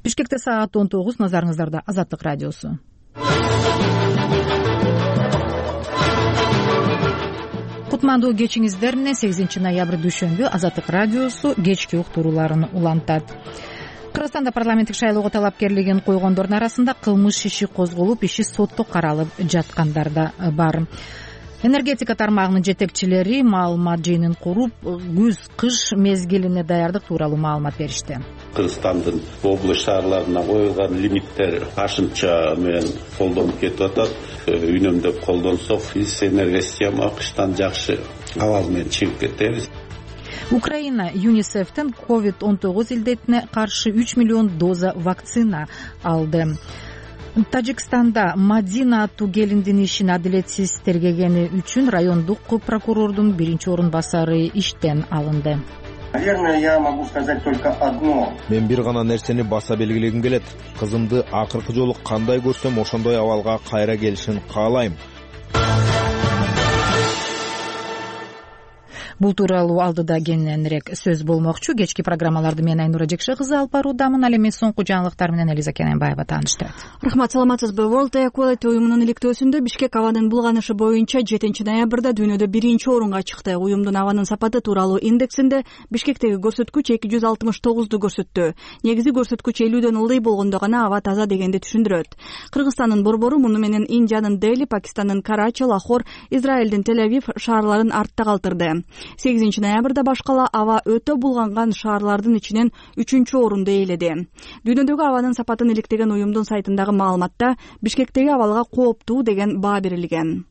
Бишкекте саат 19, назарыңыздарда Азаттык радиосу. Кутмандуу кечиңиздер менен 8 ноябрь дүйшөмбү Азаттык радиосу кечки уктурууларын улантат. Кыргызстанда парламенттик шайлоого талапкерлигин койгондордун арасында кылмыш иши козголуп, иши сотто каралып жаткандар да бар. Энергетика тармагынын жетекчилери маалымат жыйынын куруп, күз-кыш мезгилине даярдык тууралуу маалымат беришти. Кыргызстандын область шаарларына коюлган лимиттер ашынча менен колдонуп кетип атат. Үнөмдөп колдонсок, энергосистема кыштан жакшы абал менен чыгып кетебиз. Украина ЮНИСЕФтен COVID-19 илдетине каршы 3 миллион доза вакцина алды. Тажикстанда Мадина аттуу келиндин ишин адилетсиз тергегени үчүн райондук прокурордун 1-орун басары иштен алынды. Наверное, я могу сказать только одно. Мен бир гана нерсени баса белгилегим келет. Кызымды акыркы жолу кандай көрсөм, ошондой абалга кайра келишин каалайм. Бул тууралуу алдыда кененирээк сөз болмокчу. Кечки программаларды мен Айнура Жекше кызы алып баруудамын. Ал эми соңку жаңылыктар менен Элиза Кененбаева тааныштырат. Рахмат, саламатсызбы? World Air Quality уюмунун иликтөөсүндө Бишкек абанын булганышы боюнча 7 ноябрда дүйнөдө 1-орунга чыкты. Уюмдун абанын сапаты тууралуу индексинде Бишкектеги көрсөткүч 269ду көрсөттү. Негизи көрсөткүч 50дөн ылдый болгондо гана аба таза дегенди түшүндүрөт. Кыргызстандын Борбору муну менен Индиянын Дели, Пакистандын Карачи, Лахор, Израилдин Тель-Авив шаарларын артта калтырды. 8 ноябрда башкала аба өтө булганган шаарлардын ичинен 3-орунду ээледи. Дүйнөдөгү абанын сапатын иликтеген уюмдун сайтындагы маалыматта Бишкектеги абалга кооптуу деген баа берилген.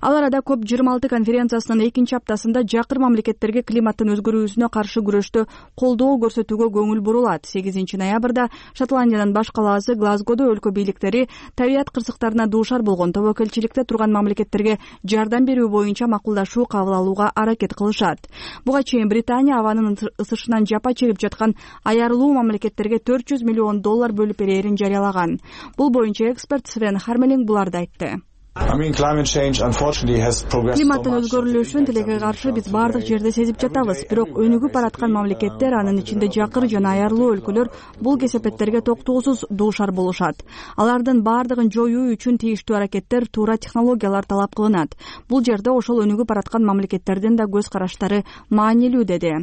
Ал арада COP26 конференциясынын 2-аптасында жакыр мамлекеттерге климаттын өзгөрүүсүнө каршы күрөштө колдоо көрсөтүүгө көңүл бурулат. 8 ноябрда Шотландиянын баш калаасы Глазгодо өлкө бийликтери табият кырсыктарына дуушар болгон тобокелчиликте турган мамлекеттерге жардам берүү боюнча макулдашуу кабыл алууга аракет кылышат. Буга чейин Британия абанын ысышынан жапа чегип жаткан аярлуу мамлекеттерге $400 миллион бөлүп берерин жарыялаган. Бул боюнча эксперт Свен Хармелинг буларды айтты. Климаттын өзгөрүлүшүн тилекке каршы биз бардык жерде сезип жатабыз. Бирок өнүгүп бараткан мамлекеттер, анын ичинде жакыр жана аярлуу өлкөлөр бул кесепеттерге токтоосуз дуушар болушат. Алардын бардыгын жоюу үчүн тийиштүү аракеттер, туура технологиялар талап кылынат. Бул жерде ошол өнүгүп бараткан мамлекеттердин да көз караштары маанилүү, деди.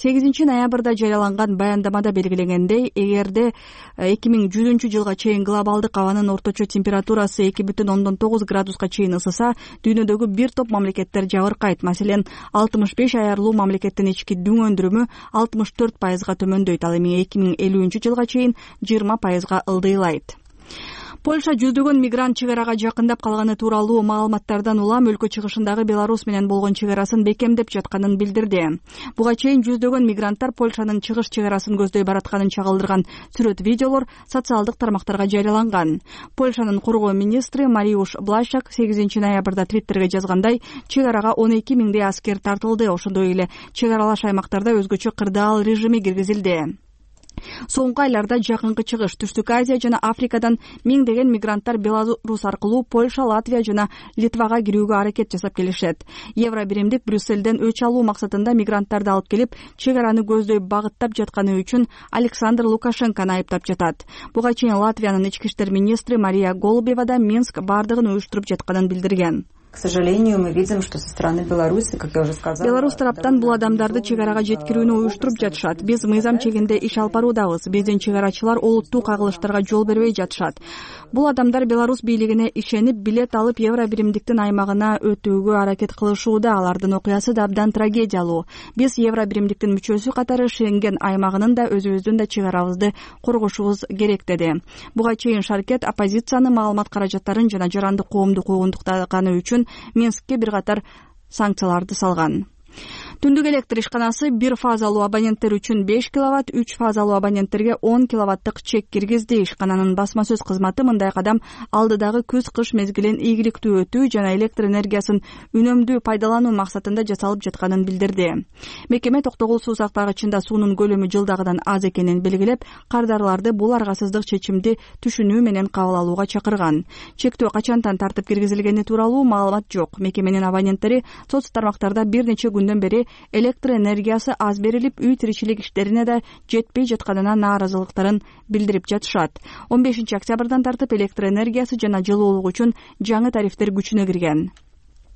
8 ноябрда жарыяланган баяндамада белгиленгендей, эгерде 2100-жылга чейин глобалдык абанын орточо температурасы 2,9 градуска чейин ысыса, дүйнөдөгү бир топ мамлекеттер жабыркайт. Маселен, 65 аярлуу мамлекеттин ички дүң өндүрүмү 64%га төмөндөйт. Ал эми 2050-жылга чейин 20%га ылдыйлайт. Польша жүздөгөн мигрант чек арага жакындап калганы тууралуу маалыматтардан улам өлкө чыгышындагы Беларусь менен болгон чек арасын бекемдеп жатканын билдирди. Буга чейин жүздөгөн мигранттар Польшанын чыгыш чек арасын көздөй баратканын чагылдырган сүрөт-видеолор социалдык тармактарга жарыяланган. Польшанын коргоо министри Мариуш Блашак 8 ноябрда Твиттерге жазгандай, чек арага 12 миңдей аскер тартылды. Ошондой эле чек аралаш аймактарда өзгөчө кырдаал режими киргизилди. Соңку айларда жакынкы чыгыш, Түштүк Азия жана Африкадан миңдеген мигранттар Беларусь аркылуу Польша, Латвия жана Литвага кирүүгө аракет жасап келишет. Евро биримдик Брюссельден өч алуу максатында мигранттарды алып келип, чек араны көздөй багыттап жатканы үчүн Александр Лукашенкону айыптап жатат. Буга чейин Латвиянын ички иштер министри Мария Голубева да Минск бардыгын уюштуруп жатканын билдирген. К сожалению, мы видим, что со стороны Беларуси, как я уже сказала, Беларусь тараптан бул адамдарды чек арага жеткирүүнү уюштуруп жатышат. Биз мыйзам чегинде иш алып баруудабыз. Биздин чек арачылар олуттуу кагылыштарга жол бербей жатышат. Бул адамдар Беларусь бийлигине ишенип, билет алып, евро биримдиктин аймагына өтүүгө аракет кылышууда. Алардын окуясы да абдан трагедиялуу. Биз евро биримдиктин мүчөсү катары Шенген аймагынын да өзүбүздүн да чек арабызды коргошубуз керек, деди. Буга чейин Шаркет оппозицияны маалымат каражаттарын жана жарандык коомду куугунтуктаганы үчүн Минскке бир катар санкцияларды салган. Түндүк электр ишканасы 1 фазалуу абоненттер үчүн 5 киловатт, 3 фазалуу абоненттерге 10 киловаттык чек киргизди. Ишкананын басма сөз кызматы мындай кадам алдыдагы күз-кыш мезгилин ийгиликтүү өтүү жана электр энергиясын үнөмдүү пайдалануу максатында жасалып жатканын билдирди. Мекеме токтогул суу сактагычында суунун көлөмү жылдагыдан аз экенин белгилеп, кардарларды бул аргасыздык чечимди түшүнүү менен кабыл алууга чакырган. Чектөө качантан тартып киргизилгени тууралуу маалымат жок. Мекеменин абоненттери соц тармактарда бир нече күндөн бери электр энергиясы аз берилип, үй тиричилик иштерине да жетпей жатканына нааразылыктарын билдирип жатышат. 15 октябрдан тартып электр энергиясы жана жылуулук үчүн жаңы тарифтер күчүнө кирген.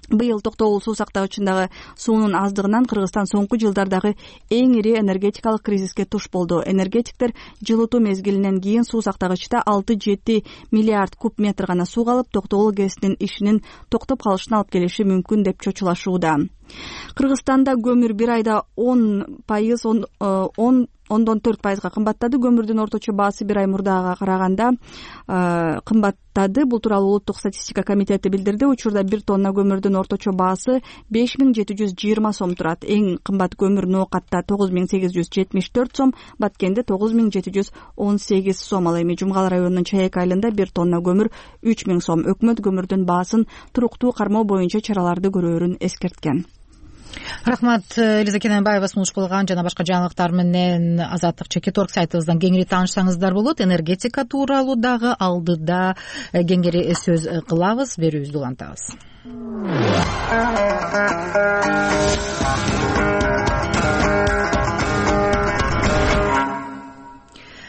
Быйыл токтогул суу сактагычындагы суунун аздыгынан Кыргызстан соңку жылдардагы эң ири энергетикалык кризиске туш болду. Энергетиктер жылытуу мезгилинен кийин суу сактагычта 6-7 миллиард куб метр гана суу калып, токтогул ГЭСтин ишинин токтоп калышына алып келиши мүмкүн деп чочулашууда. Кыргызстанда көмүр бир айда 10,4% кымбаттады. Көмүрдүн орточо баасы бир ай мурдага караганда кымбаттады. Бул тууралуу Улуттук статистика комитети билдирди. Учурда 1 тонна көмүрдүн орточо баасы 5720 сом турат. Эң кымбат көмүр Ноокатта 9874 сом, Баткенде 9718 сом. Ал эми Жумгал районунун Чаек айылында 1 тонна көмүр 3000 сом. Өкмөт көмүрдүн баасын туруктуу кармоо боюнча чараларды көрөөрүн эскерткен. Рахмат, Элиза Кененбаева сунуш кылган жана башка жаңылыктар менен Азаттык Чекиторг сайтыбыздан кеңири таанышсаңыздар болот. Энергетика тууралуу дагы алдыда кеңири сөз кылабыз. Берүүбүздү улантабыз.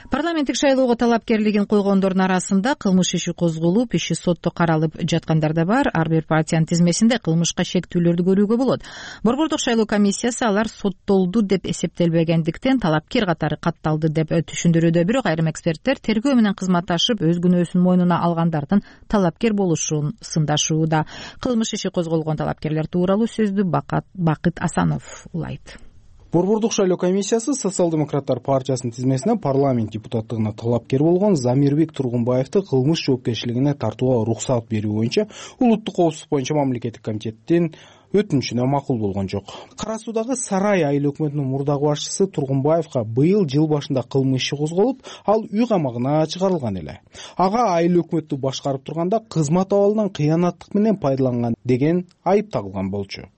Парламенттик шайлоого талапкерлигин койгондордун арасында кылмыш иши козголуп, иши сотто каралып жаткандар да бар. Ар бир партиянын тизмесинде кылмышка шектүүлөрдү көрүүгө болот. Борбордук шайлоо комиссиясы алар соттолду деп эсептелбегендиктен талапкер катары катталды деп түшүндүрүүдө. Бирок айрым эксперттер тергөө менен кызматташып өз күнөөсүн мойнуна алгандардын талапкер болушун сындашууда. Кылмыш иши козголгон талапкерлер тууралуу сөздү Бакыт Асанов улайт. Борбордук шайлоо комиссиясы Социал-демократтар партиясынын тизмесине парламент депутаттыгына талапкер болгон Замирбек Тургунбаевди кылмыш жоопкерчилигине тартууга уруксат берүү боюнча Улуттук коопсуздук боюнча мамлекеттик комитеттин өтүнүшүнө макул болгон жок. Кара Суудагы Сарай айыл өкмөтүнүн мурдагы башчысы Тургунбаевга быйыл жыл башында кылмыш иши козголуп, ал үй камагына чыгарылган эле. Ага айыл өкмөттү башкарып турганда кызмат абалынан кыянаттык менен пайдаланган деген айып тагылган болчу.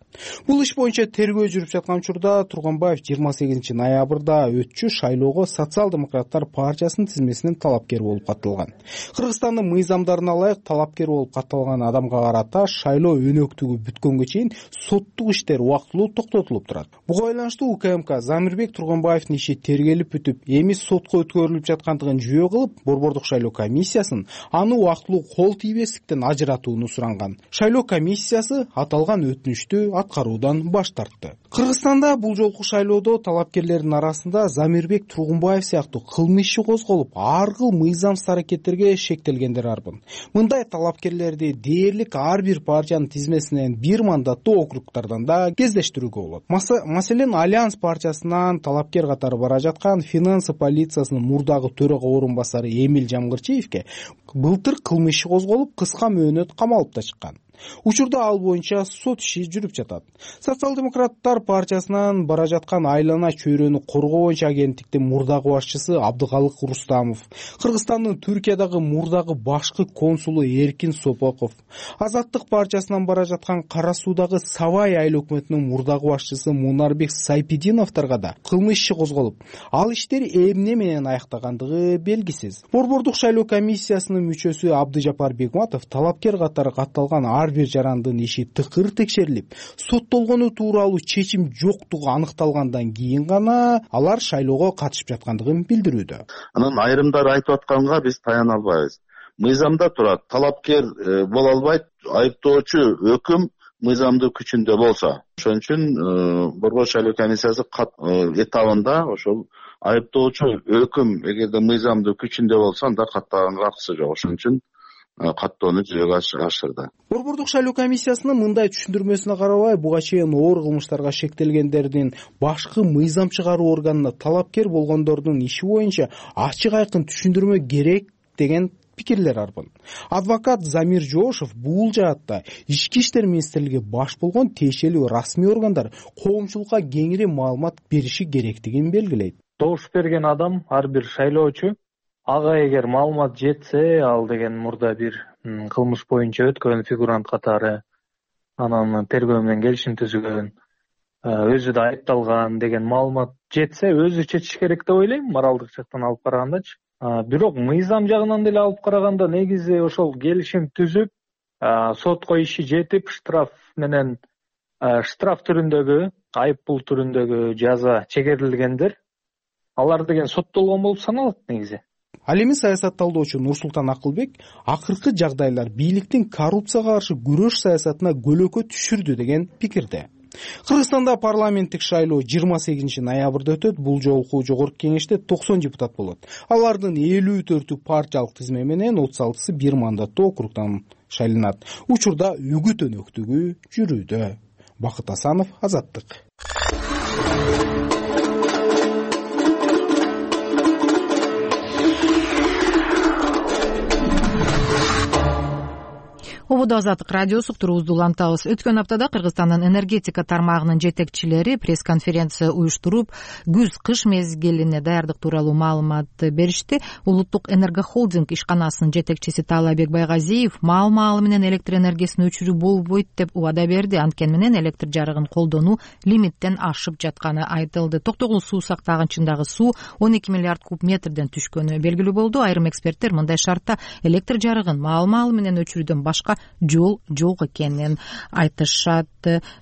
Бул иш боюнча тергөө жүрүп жаткан учурда Тургунбаев 28 ноябрда өтчү шайлоого Социал-демократтар партиясынын тизмесинен талапкер болуп катталган. Кыргызстандын мыйзамдарына ылайык талапкер болуп катталган адамга карата шайлоо өнөктүгү бүткөнгө чейин соттук иштер убактылуу токтотулуп турат. Буга байланыштуу УКМК Замирбек Тургунбаевдин иши тергелип бүтүп, эми сотко өткөрүлүп жаткандыгын жүйө кылып, Борбордук шайлоо комиссиясын аны убактылуу кол тийбестиктен ажыратууну суранган. Шайлоо комиссиясы аталган өтүнүштү аткаруудан баш тартты. Кыргызстанда бул жолку шайлоодо талапкерлердин арасында Замирбек Тургунбаев сыяктуу кылмыш иши козголуп, ар кыл мыйзамсыз аракеттерге шектелгендер арбын. Мындай талапкерлерди дээрлик ар бир партиянын тизмесинен бир мандаттуу округдардан да кездештирүүгө болот. Маселен, Альянс партиясынан талапкер катары бара жаткан финансы полициясынын мурдагы төрага орун басары Эмил Жамгырчиевке былтыр кылмыш иши козголуп, кыска мөөнөт камалып да чыккан. Учурда ал боюнча сот иши жүрүп жатат. Социал-демократтар партиясынан бара жаткан айлана чөйрөнү коргоо боюнча агенттиктин мурдагы башчысы Абдыкалык Рустамов, Кыргызстандын Түркиядагы мурдагы башкы консулу Эркин Сопоков, Азаттык партиясынан бара жаткан Кара Суудагы Сабай айыл өкмөтүнүн мурдагы башчысы Мунарбек Сайпидиновторго да кылмыш иши козголуп, ал иштер эмне менен аяктагандыгы белгисиз. Борбордук шайлоо комиссиясынын мүчөсү Абдыжапар Бегматов талапкер катары катталган ар бир жарандын иши тыкыр текшерилип, соттолгону тууралуу чечим жоктугу аныкталгандан кийин гана алар шайлоого катышып жаткандыгын билдирүүдө. Анан айрымдары айтып атканга биз таяна албайбыз. Мыйзамда турат, талапкер боло албайт, айыптоочу өкүм мыйзамдын күчүндө болсо. Ошон үчүн Борбордук шайлоо комиссиясы этабында ошол айыптоочу өкүм эгерде мыйзамдын күчүндө болсо, анда каттаганга акысы жок. Ошон үчүн каттоону жүзөгө ашырды. Борбордук шайлоо комиссиясынын мындай түшүндүрмөсүнө карабай, буга чейин оор кылмыштарга шектелгендердин башкы мыйзам чыгаруу органына талапкер болгондордун иши боюнча ачык айкын түшүндүрмө керек деген пикирлер арбын. Адвокат Замир Жоошев бул жаатта Ички иштер министрлиги баш болгон тиешелүү расмий органдар коомчулукка кеңири маалымат бериши керектигин белгилейт. Добуш берген адам, ар бир шайлоочу, ага эгер маалымат жетсе, ал деген мурда бир кылмыш боюнча өткөн фигурант катары, анан тергөө менен келишим түзүлгөн, өзү да айыпталган деген маалымат жетсе, өзү чечиш керек деп ойлойм, моралдык жактан алып карагандачы. Бирок мыйзам жагынан деле алып караганда негизи ошол келишим түзүп, сотко иши жетип, штраф менен штраф түрүндөгү, айып пул түрүндөгү жаза чегерилгендер алар деген соттолгон болуп саналат негизи. Ал эми саясатталдоочу Нурсултан Акылбек акыркы жагдайлар бийликтин коррупцияга каршы күрөш саясатына көлөкө түшүрдү деген пикирде. Кыргызстанда парламенттик шайлоо 28 ноябрда өтөт. Бул жолку жогорку кеңеште 90 депутат болот. Алардын 54-ü партиялык тизме менен 36-сы бир мандаттуу округдан шайланат. Учурда үгүт өнөктүгү жүрүүдө. Бакыт Асанов, Азаттык. Ободо Азаттык радиосу уктуруубузду улантабыз. Өткөн аптада Кыргызстандын энергетика тармагынын жетекчилери пресс-конференция уюштуруп, күз-кыш мезгилине даярдык тууралуу маалымат беришти. Улуттук энергохолдинг ишканасынын жетекчиси Таалайбек Байгазиев маал-маалы менен электр энергиясын өчүрүү болбойт деп убада берди. Анткени менен электр жарыгын колдонуу лимиттен ашып жатканы айтылды. Токтогул суу сактагычындагы суу 12 миллиард куб метрден түшкөнү белгилүү болду. Айрым эксперттер мындай шартта электр жарыгын маал-маалы менен өчүрүүдөн башка жол жок экенин айтышат.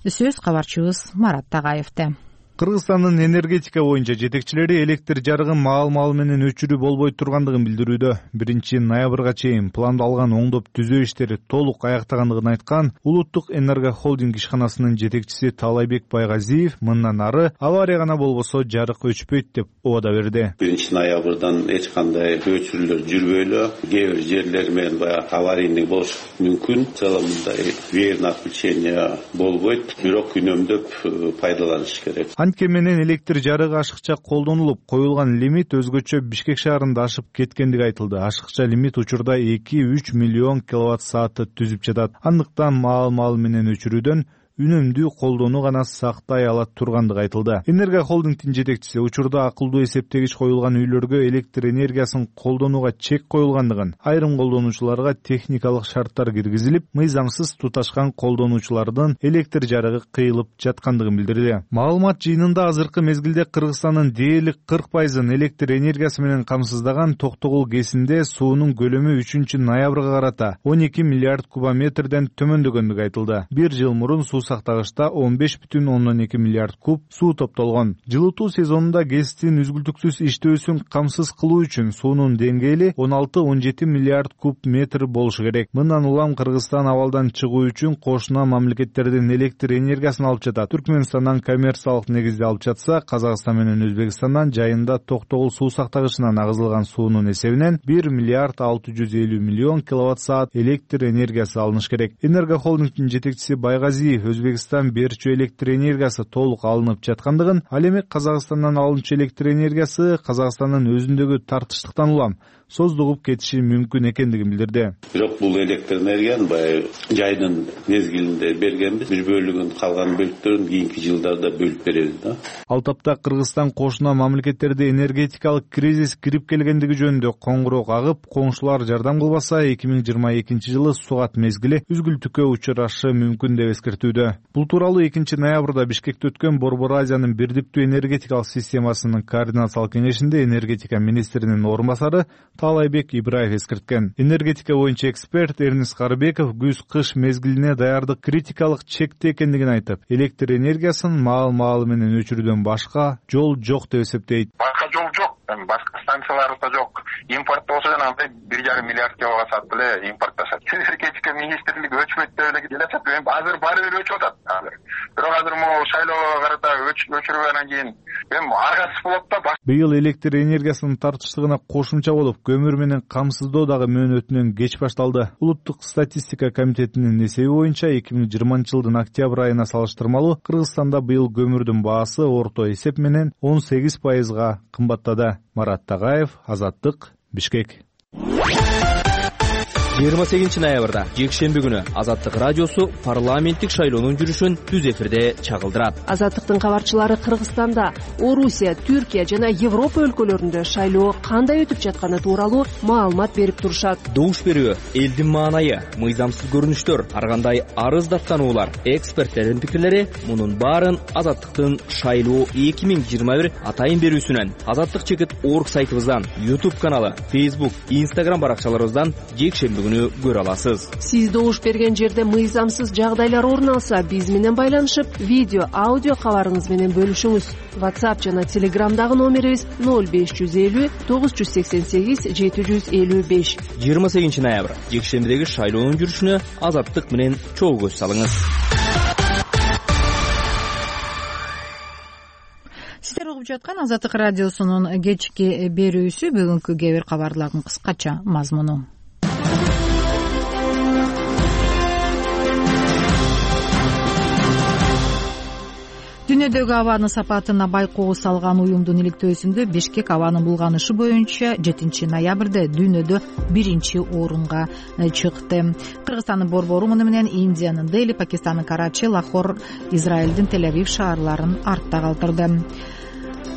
Сөз кабарчыбыз Марат Тагаевде. Кыргызстандын энергетика боюнча жетекчилери электр жарыгын маал-маал менен өчүрүү болбой тургандыгын билдирүүдө. 1-ноябрга чейин пландалган оңдоп түзөө иштери толук аяктагандыгын айткан Улуттук энергохолдинг ишканасынын жетекчиси Таалайбек Байгазиев мындан ары авария гана болбосо жарык өчпөйт деп убада берди. 1-ноябрдан эч кандай өчүрүүлөр жүрбөйлү. Кээ бир жерлер менен баягы аварийный болуш мүмкүн. В целом мындай верное отключение болбойт, бирок үнөмдөп пайдаланыш керек. Анткени менен электр жарыгы ашыкча колдонулуп, коюлган лимит өзгөчө Бишкек шаарында ашып кеткендиги айтылды. Ашыкча лимит учурда 2-3 миллион киловатт саатты түзүп жатат. Андыктан маал-маал менен өчүрүүдөн үнөмдүү колдонуу гана сактай алат тургандыгы айтылды. Энергохолдингдин жетекчиси учурда акылдуу эсептегич коюлган үйлөргө электр энергиясын колдонууга чек коюлгандыгын, айрым колдонуучуларга техникалык шарттар киргизилип, мыйзамсыз туташкан колдонуучулардын электр жарыгы кыйылып жаткандыгын билдирди. Маалымат жыйынында азыркы мезгилде Кыргызстандын дээрлик 40% электр энергиясы менен камсыздаган Токтогул КЭСинде суунун көлөмү 3-ноябрга карата 12 миллиард кубометрден төмөндөгөндүгү айтылды. Бир жыл мурун суу сактагычта 15,2 миллиард куб суу топтолгон. Жылытуу сезонунда КЭСтин үзгүлтүксүз иштөөсүн камсыз кылуу үчүн суунун деңгээли 16-17 миллиард куб метр болушу керек. Мындан улам Кыргызстан абалдан чыгуу үчүн кошуна мамлекеттердин электр энергиясын алып жатат. Түркмөнстандан коммерциялык негизде алып жатса, Казакстан менен Өзбекстандан жайында Токтогул суу сактагычынан агызылган суунун эсебинен 1 миллиард 650 миллион киловатт саат электр энергиясы алыныш керек. Энергохолдингдин жетекчиси Байгазиев Өзбекстан берчү электр энергиясы толук алынып жаткандыгын, ал эми Казакстандан алынчу электр энергиясы Казакстандын өзүндөгү тартыштыктан улам создугуп кетиши мүмкүн экендигин билдирди. Бирок бул электр энергияны баягы жайдын мезгилинде бергенбиз. Бир бөлүгүн, калган бөлүктөрүн кийинки жылдарда бөлүп беребиз да. Ал тапта Кыргызстан кошуна мамлекеттерде энергетикалык кризис кирип келгендиги жөнүндө коңгуроо агып, коңшулар жардам кылбаса 2022 жылы сугат мезгили үзгүлтүккө учурашы мүмкүн деп эскертүүдө. Бул тууралуу 2-ноябрда Бишкекте өткөн Борбор Азиянын бирдиктүү энергетикалык системасынын координациялык кеңешинде энергетика министринин орун басары Таалайбек Ибраев эскерткен. Энергетика боюнча эксперт Эрнис Карыбеков күз-кыш мезгилине даярдык критикалык чекте экендигин айтып, электр энергиясын маал-маалы менен өчүрүүдөн башка жол жок деп эсептейт. Башка жол жок. Башка станциялар да жок. Импорт болсо жана 1,5 миллиард киловатт саат эле импортташат. Энергетика министрлиги өчмөйт деп эле келешет. Азыр баары бир өчүп атат азыр. Бирок азыр могу шайлоого карата өчүргөндөн кийин аргасыз болот да. Быйыл электр энергиясынын тартыштыгына кошумча болуп, көмүр менен камсыздоо дагы мөөнөтүнөн кеч башталды. Улуттук статистика комитетинин эсеби боюнча 2020 жылдын октябрь айына салыштырмалуу Кыргызстанда быйыл көмүрдүн баасы орто эсеп менен 18% кымбаттады. Марат Тагаев, Азаттык, Бишкек. 28 ноябрда жекшемби күнү Азаттык радиосу парламенттик шайлоонун жүрүшүн түз эфирде чагылдырат. Азаттыктын кабарчылары Кыргызстанда, Орусия, Түркия жана Европа өлкөлөрүндө шайлоо кандай өтүп жатканы тууралуу маалымат берип турушат. Добуш берүү, элдин маанайы, мыйзамсыз көрүнүштөр, ар кандай арыз даттануулар, эксперттердин пикирлери мунун баарын Азаттыктын шайлоо 2021 атайын берүүсүнөн, Азаттык чекит org сайтыбыздан, YouTube каналы, Facebook, Instagram баракчаларыбыздан жекшемби көпчүлүгүнү көрө аласыз. Сиз добуш берген жерде мыйзамсыз жагдайлар орун алса, биз менен байланышып, видео, аудио кабарыңыз менен бөлүшүңүз. WhatsApp жана Telegramдагы номерибиз 0550 988 755. 28 ноябрь жекшембидеги шайлоонун жүрүшүнө Азаттык менен чогуу көз салыңыз. Сиздер угуп жаткан Азаттык радиосунун кечки берүүсү. Бүгүнкү кээ бир кабарлардын кыскача мазмуну. Дүйнөдөгү абанын сапатына байкоо салган уюмдун иликтөөсүндө Бишкек абанын булганышы боюнча 7 ноябрда дүйнөдө 1-орунга чыкты. Кыргызстандын Борбору муну менен Индиянын Дели, Пакистандын Карачи, Лахор, Израилдин Тель-Авив шаарларын артта калтырды.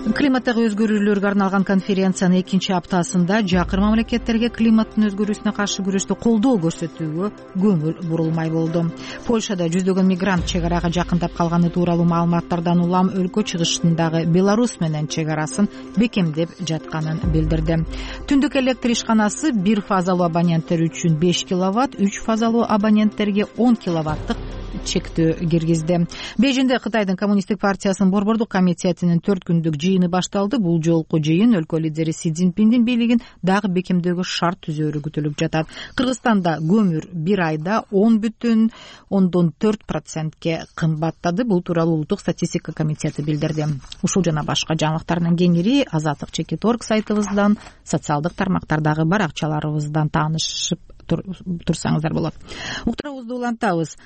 Климаттагы өзгөрүүлөргө арналган конференциянын 2-аптасында жакыр мамлекеттерге климаттын өзгөрүүсүнө каршы күрөштө колдоо көрсөтүүгө көңүл бурулмай болду. Польшада жүздөгөн мигрант чек арага жакындап калганы тууралуу маалыматтардан улам өлкө чыгышындагы Беларусь менен чек арасын бекемдеп жатканын билдирди. Түндүк электр ишканасы 1 фазалуу абоненттер үчүн 5 киловатт, 3 фазалуу абоненттерге 10 киловаттык чектөө киргизди. Бейжиңде Кытайдын Коммунисттик партиясынын борбордук комитетинин 4 күндүк жыйыны башталды. Бул жолку жыйын өлкө лидери Си Цзиньпиндин бийлигин дагы бекемдөөгө шарт түзөөрү күтүлүп жатат. Кыргызстанда көмүр бир айда 10,4%ке кымбаттады. Бул тууралуу Улуттук статистика комитети билдирди. Ушул жана башка жаңылыктардын кеңири Азаттык.org сайтыбыздан, социалдык тармактардагы баракчаларыбыздан таанышып турсаңыздар болот. Уктуруубузду улантабыз.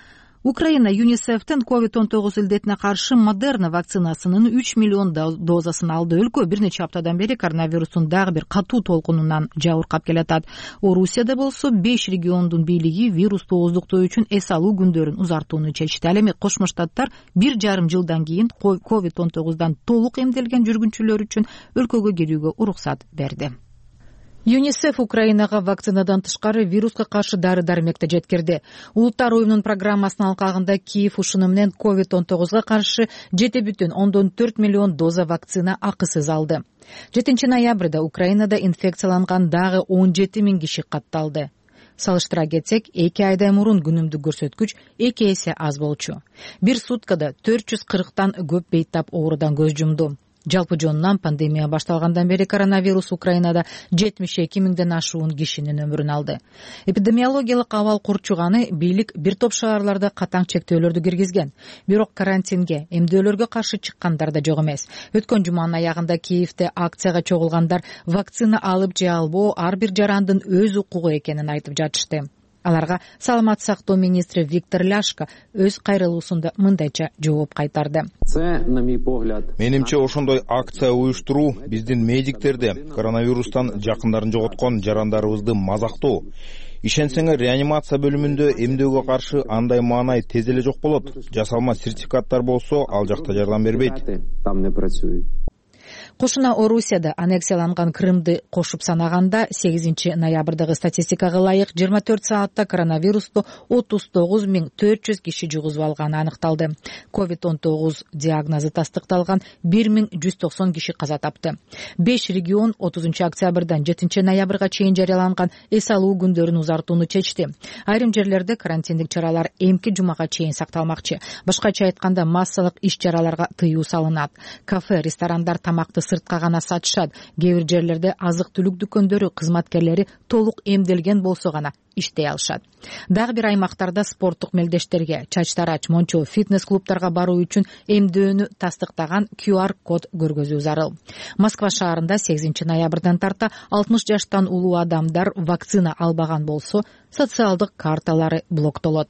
Украина ЮНИСЕФтин COVID-19 илдетине каршы Модерна вакцинасынын 3 миллион дозасын алды. Өлкө бир нече аптадан бери коронавирустун дагы бир катуу толкунунан жабыркап келатат. Орусияда болсо 5 региондун бийлиги вирусту ооздуктоо үчүн эс алуу күндөрүн узартууну чечти. Ал эми Кошмо Штаттар 1,5 жылдан кийин COVID-19 толук эмделген жүргүнчүлөр үчүн өлкөгө кирүүгө уруксат берди. ЮНИСЕФ Украинага вакцинадан тышкары вируска каршы дары-дармекти жеткирди. Улуттар уюмунун программасынын алкагында Киев ушуну менен COVID-19 каршы 7,4 миллион доза вакцина акысыз алды. 7 ноябрда Украинада инфекцияланган дагы 17 000 киши катталды. Салыштыра кетсек, 2 айдай мурун күнүмдүк көрсөткүч 2 эсе аз болчу. Бир суткада 440тан көп бейтап оорудан көз жумду. Жалпы жонунан пандемия башталгандан бери коронавирус Украинада 72 миңден ашуун кишинин өмүрүн алды. Эпидемиологиялык абал курчуганы бийлик бир топ шаарларда катаң чектөөлөрдү киргизген. Бирок карантинге, эмдөөлөргө каршы чыккандар да жок эмес. Өткөн жуманын аягында Киевде акцияга чогулгандар вакцина алып же албоо ар бир жарандын өз укугу экенин айтып жатышты. Аларга саламаттык сактоо министри Виктор Ляшко өз кайрылуусунда мындайча жооп кайтарды. Менимче ошондой акция уюштуруу биздин медиктерди коронавирустан жакындарын жоготкон жарандарыбызды мазактоо. Ишенсеңер, реанимация бөлүмүндө эмдөөгө каршы андай маанай тез эле жок болот. Жасалма сертификаттар болсо, ал жакта жардам бербейт. Кошуна Орусияда аннексияланган Крымды кошуп санаганда 8 ноябрдагы статистикага ылайык 24 саатта коронавирусту 39 400 киши жугузуп алганы аныкталды. COVID-19 диагнозу тастыкталган 1190 киши каза тапты. 5 регион 30 октябрдан 7 ноябрга чейин жарыяланган эс алуу күндөрүн узартууну чечти. Айрым жерлерде карантиндик чаралар эмки жумага чейин сакталмакчы. Башкача айтканда массалык иш-чараларга тыюу салынат. Кафе, ресторандар тамакты сыртка гана сатышат. Кээ бир жерлерде азык-түлүк дүкөндөрү кызматкерлери толук эмделген болсо гана иштей алышат. Дагы бир аймактарда спорттук мелдештерге, чач-тарач, мончо, фитнес-клубтарга баруу үчүн эмдөөнү тастыктаган QR-код көргөзүү зарыл. Москва шаарында 8 ноябрдан тарта 60 жаштан улуу адамдар вакцина албаган болсо, социалдык карталары блоктолот.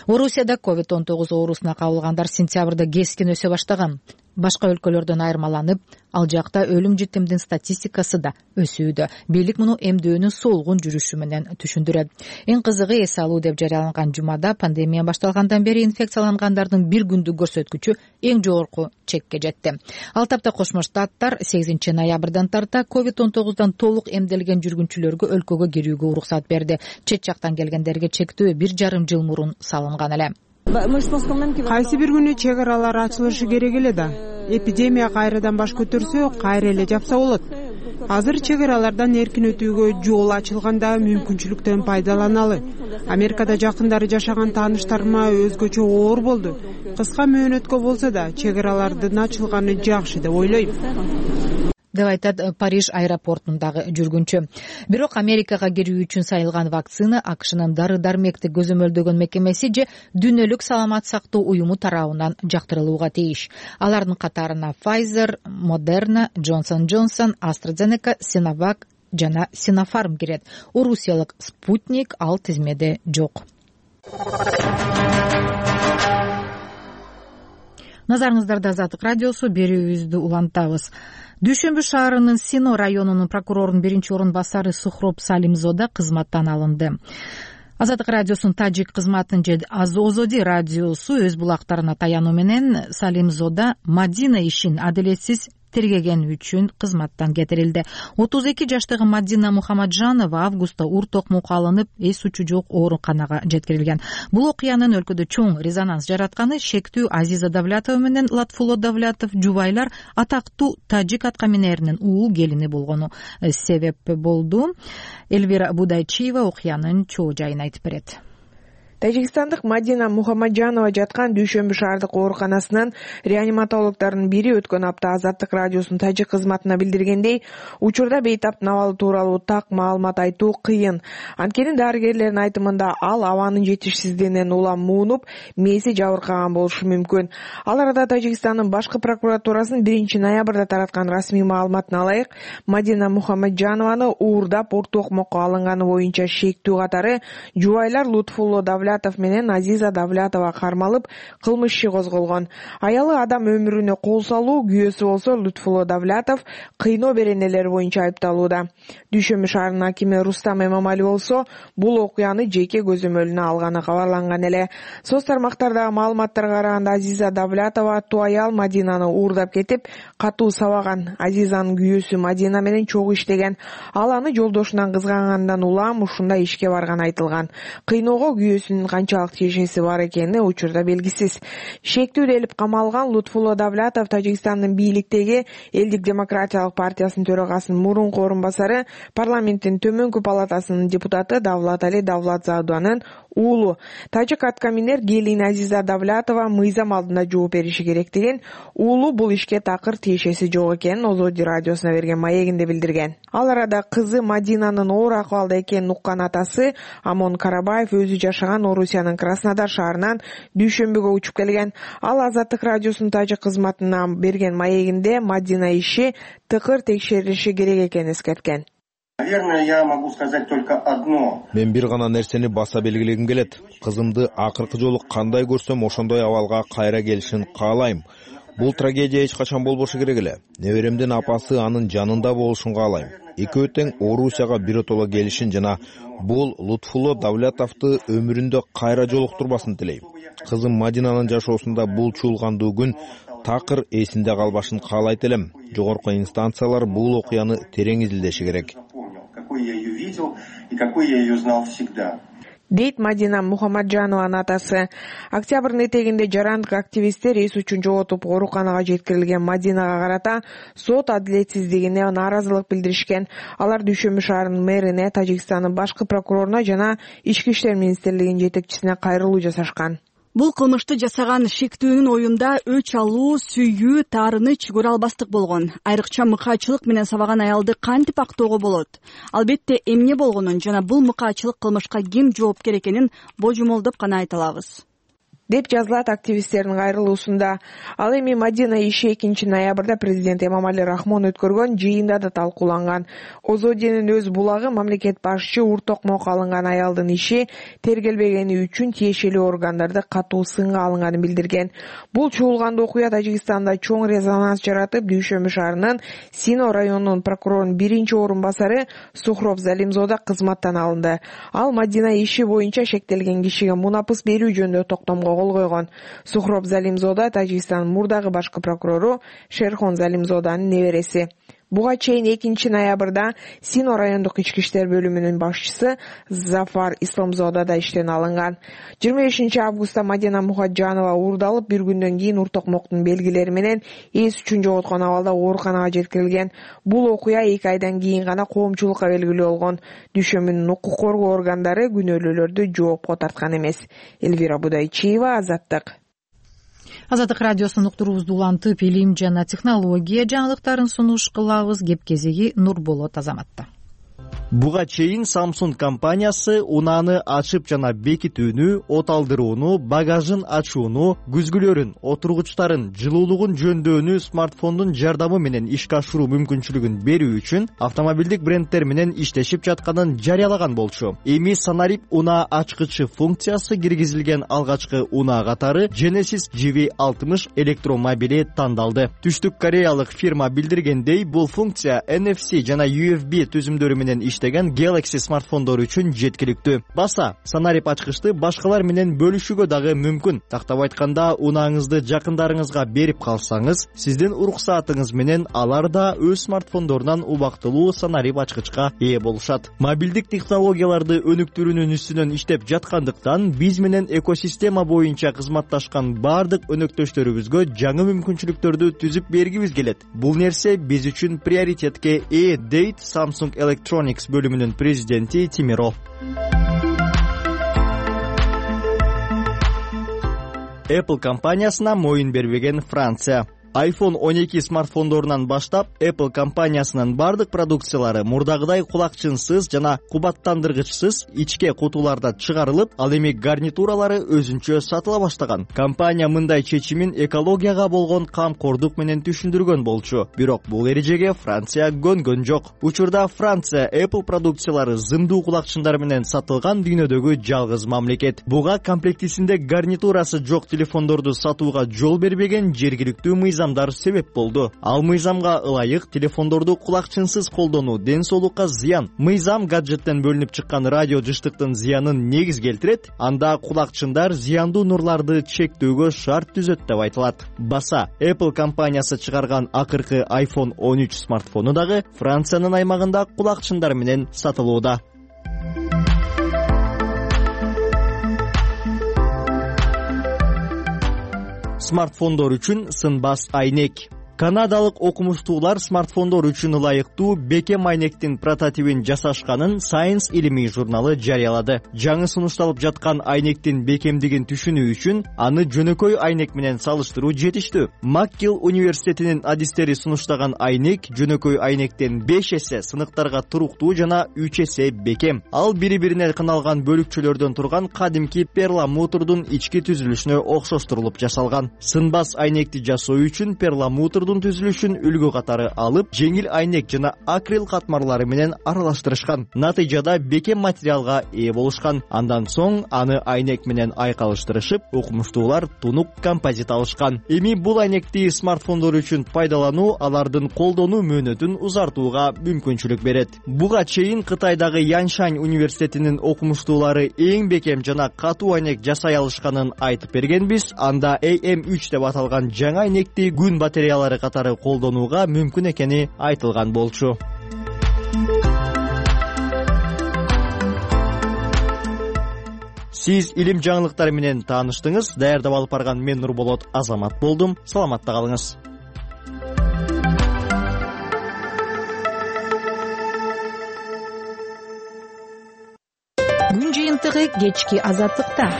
Орусияда COVID-19 оорусуна кабылгандар сентябрда кескин өсө баштаган. Башка өлкөлөрдөн айырмаланып, ал жакта өлүм житимдин статистикасы да өсүүдө. Бийлик муну эмдөөнүн солгун жүрүшү менен түшүндүрөт. Эң кызыгы, эс алуу деп жарыяланган жумада пандемия башталгандан бери инфекциялангандардын бир күндүк көрсөткүчү эң жогорку чекке жетти. Ал тапта Кошмо Штаттар 8 ноябрдан тарта COVID-19 толук эмделген жүргүнчүлөргө өлкөгө кирүүгө уруксат берди. Чет жактан келгендерге чектөө 1,5 жыл мурун салынган эле. Кайсы бир күнү чек аралар ачылышы керек эле да. Эпидемия кайрадан баш көтөрсө, кайра эле жапса болот. Азыр чек аралардан эркин өтүүгө жол ачылганда мүмкүнчүлүктөн пайдаланалы. Америкада жакындары жашаган тааныштарыма өзгөчө оор болду. Кыска мөөнөткө болсо да чек аралардын ачылганы жакшы деп ойлойм, деп айтат Париж аэропортундагы жүргүнчү. Бирок Америкага кирүү үчүн сайылган вакцина АКШнын дары-дармекти көзөмөлдөгөн мекемеси же Дүйнөлүк саламат сактоо уюму тарабынан жактырылууга тийиш. Алардын катарына Pfizer, Moderna, Johnson & Johnson, AstraZeneca, Sinovac жана Sinopharm кирет. Орусиялык Спутник ал тизмеде жок. Назарыңыздарда Азаттык радиосу, берүүбүздү улантабыз. Дүйшөмбү шаарынын Сино районунун прокурорунун биринчи орун басары Сухроб Салимзода кызматтан алынды. Азаттык радиосунун тажик кызматынын же Озоди радиосу өз булактарына таянуу менен Салимзода Мадина ишин адилетсиз тергеген үчүн кызматтан кетирилди. 32 жаштагы Мадина Мухаммаджанова августта ур токмокко алынып, эс учу жок ооруканага жеткирилген. Бул окуянын өлкөдө чоң резонанс жаратканы шектүү Азиза Давлятова менен Латфуло Давлятов жубайлар атактуу тажик аткаминеринин уулу келини болгону себеп болду. Элвира Будайчиева окуянын чоо жайын айтып берет. Тажикстандык Мадина Мухаммаджанова жаткан Дүйшөмбү шаардык ооруканасынын реаниматологдордун бири өткөн апта Азаттык радиосунун тажик кызматына билдиргендей, учурда бейтаптын абалы тууралуу так маалымат айтуу кыйын. Анткени дарыгерлердин айтымында ал абанын жетишсиздигинен улам муунуп, мээси жабыркаган болушу мүмкүн. Ал арада Тажикстандын башкы прокуратурасынын 1-ноябрда тараткан расмий маалыматына ылайык, Мадина Мухаммаджанованы уурдап ур токмокко алынганы боюнча шектүү катары жубайлар Лутфулло Давлятов менен Азиза Давлятова кармалып, кылмыш иши козголгон. Аялы адам өмүрүнө кол салуу, күйөөсү болсо Лутфулло Давлятов кыйноо беренелери боюнча айыпталууда. Дүйшөмбү шаарынын акими Рустам Эмомали болсо, бул окуяны жеке көзөмөлүнө алганы кабарланган эле. Соц тармактардагы маалыматтарга караганда Азиза Давлятова аттуу аял Мадинаны уурдап кетип, катуу сабаган. Азизанын күйөөсү Мадина менен чогуу иштеген. Ал аны жолдошунан кызгангандан улам ушундай ишке барганы айтылган. Кыйноого күйөөсүнүн канчалык тиешеси бар экени учурда белгисиз. Шектүү делип камалган Лутфулло Давлятов Тажикстандын бийликтеги Элдик демократиялык партиясынын төрагасынын мурунку орун басары, парламенттин төмөнкү палатасынын депутаты Давлатали Давлатзаданын уулу. Тажик аткаминер келин Азиза Давлятова мыйзам алдында жооп бериши керектигин, уулу бул ишке такыр тиешеси жок экенин Озоди радиосуна берген маегинде билдирген. Ал арада кызы Мадинанын оор акыбалда экенин уккан атасы Амон Карабаев өзү жашаган Орусиянын Краснодар шаарынан Дүйшөмбүгө учуп келген. Ал Азаттык радиосунун тажик кызматына берген маегинде Мадина иши тыкыр текшерилиши керек экенин эскерткен. Наверное, я могу сказать только одно. Мен бир гана нерсени баса белгилегим келет. Кызымды акыркы жолу кандай көрсөм ошондой абалга кайра келишин каалайм. Бул трагедия эч качан болбошу керек эле. Неберемдин апасы анын жанында болушун каалайм. Экөө тең Орусияга биротоло келишин жана бул Лутфулло Давлятовду өмүрүндө кайра жолуктурбасын тилейм. Кызым Мадинанын жашоосунда бул чуулгандуу күн такыр эсинде калбашын каалайт элем. Жогорку инстанциялар бул окуяны терең изилдеши керек. Какой я ее видел и какой я ее знал всегда. Дейт Мадина Мухаммаджанованын атасы. Октябрдын этегинде жарандык активисттер эс үчүн жоготуп ооруканага жеткирилген Мадинага карата сот адилетсиздигине нааразылык билдиришкен. Алар Дүйшөмбү шаарынын мэрине, Тажикстандын башкы прокуроруна жана Ички иштер министрлигинин жетекчисине кайрылуу жасашкан. Бул кылмышты жасаган шектүүнүн оюнда өч алуу, сүйүү, таарыныч көрө албастык болгон. Айрыкча мыкаачылык менен сабаган аялды кантип актоого болот? Албетте эмне болгонун жана бул мыкаачылык кылмышка ким жоопкер экенин божомолдоп гана айта алабыз, деп жазылат активисттердин кайрылуусунда. Ал эми Мадина иши 2-ноябрда президент Эмомали Рахмон өткөргөн жыйында да талкууланган. Озодинин өз булагы мамлекет башчы ур токмокко алынган аялдын иши тергелбегени үчүн тиешелүү органдарды катуу сынга алынганын билдирген. Бул чуулгандуу окуя Тажикстанда чоң резонанс жаратып, Дүйшөмбү шаарынын Сино районунун прокурорунун биринчи орун басары Сухроб Салимзода кызматтан алынды. Ал Мадина иши боюнча шектелген кишиге мунапыс берүү жөнүндө токтомго кол койгон. Сухроб Салимзода Тажикстандын мурдагы башкы прокурору Шерхон Салимзоданын небереси. Буга чейин 2-ноябрда Сино райондук ички иштер бөлүмүнүн башчысы Зафар Исламзода да иштен алынган. 25-августта Мадина Мухаджанова уурдалып, бир күндөн кийин ур токмоктун белгилери менен эс үчүн жоготкон абалда ооруканага жеткирилген. Бул окуя 2 айдан кийин гана коомчулукка белгилүү болгон. Дүйшөмбүнүн укук коргоо органдары күнөөлүүлөрдү жоопко тарткан эмес. Элвира Будайчиева, Азаттык. Азаттык радиосунун уктуруубузду улантып, илим жана технология жаңылыктарын сунуш кылабыз. Кеп кезеги Нурболот Азаматта. Буга чейин Samsung компаниясы унааны ачып жана бекитүүнү, от алдырууну, багажын ачууну, күзгүлөрүн, отургучтарын, жылуулугун жөндөөнү смартфондун жардамы менен ишке ашыруу мүмкүнчүлүгүн берүү үчүн автомобилдик бренддер менен иштешип жатканын жарыялаган болчу. Эми Sonaryp унаа ачкычы функциясы киргизилген алгачкы унаа катары Genesis GV60 электромобили тандалды. Түштүк кореялык фирма билдиргендей, бул функция NFC жана USB түзүмдөрү менен иштеген Galaxy смартфондору үчүн жеткиликтүү. Баса, Sonaryp ачкычты башкалар менен бөлүшүүгө дагы мүмкүн. Тактап айтканда, унааңызды жакындарыңызга берип калсаңыз, сиздин уруксаатыңыз менен алар да өз смартфондорунан убактылуу Sonaryp ачкычка ээ болушат. Мобилдик технологияларды өнүктүрүүнүн үстүнөн иштеп жаткандыктан, биз менен экосистема боюнча кызматташкан бардык өнөктөштөрүбүзгө жаңы мүмкүнчүлүктөрдү түзүп бергибиз келет. Бул нерсе биз үчүн приоритетке ээ, дейт Samsung Electronics бөлүмүнүн президенти Тимиро. Apple компаниясына моюн бербеген Франция. iPhone 12 смартфондорунан баштап Apple компаниясынын бардык продукциялары мурдагыдай кулакчынсыз жана кубаттандыргычсыз ичке кутуларда чыгарылып, ал эми гарнитуралары өзүнчө сатыла баштаган. Компания мындай чечимин экологияга болгон камкордук менен түшүндүргөн болчу. Бирок бул эрежеге Франция көнгөн жок. Учурда Франция Apple продукциялары зымдуу кулакчындар менен сатылган дүйнөдөгү жалгыз мамлекет. Буга комплектисинде гарнитурасы жок телефондорду сатууга жол бербеген жергиликтүү мыйзамдар себеп болду. Ал мыйзамга ылайык телефондорду кулакчынсыз колдонуу ден соолукка зыян. Мыйзам гаджеттен бөлүнүп чыккан радио жыштыктын зыянын негиз келтирет, анда кулакчындар зыяндуу нурларды чектөөгө шарт түзөт деп айтылат. Баса, Apple компаниясы чыгарган акыркы iPhone 13 смартфону дагы Франциянын аймагында кулакчындар менен сатылууда. Смартфондор үчүн сынбас айнек. Канадалык окумуштуулар смартфондор үчүн ылайыктуу бекем айнектин прототипин жасашканын Science илимий журналы жарыялады. Жаңы сунушталып жаткан айнектин бекемдигин түшүнүү үчүн аны жөнөкөй айнек менен салыштыруу жетиштүү. McGill университетинин адистери сунуштаган айнек жөнөкөй айнектен 5 эсе сыныктарга туруктуу жана 3 эсе бекем. Ал бири-бирине кыналган бөлүкчөлөрдөн турган кадимки перламутрдун ички түзүлүшүнө окшоштурулуп жасалган. Сынбас айнекти жасоо үчүн перламутрдун түзүлүшүн үлгү катары алып, жеңил айнек жана акрил катмарлары менен аралаштырышкан. Натыйжада бекем материалга ээ болушкан. Андан соң аны айнек менен айкалыштырышып, окумуштуулар тунук композит алышкан. Эми бул айнекти смартфондор үчүн пайдалануу алардын колдонуу мөөнөтүн узартууга мүмкүнчүлүк берет. Буга чейин Кытайдагы Яншань университетинин окумуштуулары эң бекем жана катуу айнек жасай алышканын айтып бергенбиз. Анда AM3 деп аталган жаңы айнекти күн батареялары катары колдонууга мүмкүн экени айтылган болчу. Сиз илим жаңылыктары менен тааныштыңыз. Даярдап алып барган мен Нурболот Азамат болдум. Саламатта калыңыз. Күн жыйынтыгы кечки азаттыкта.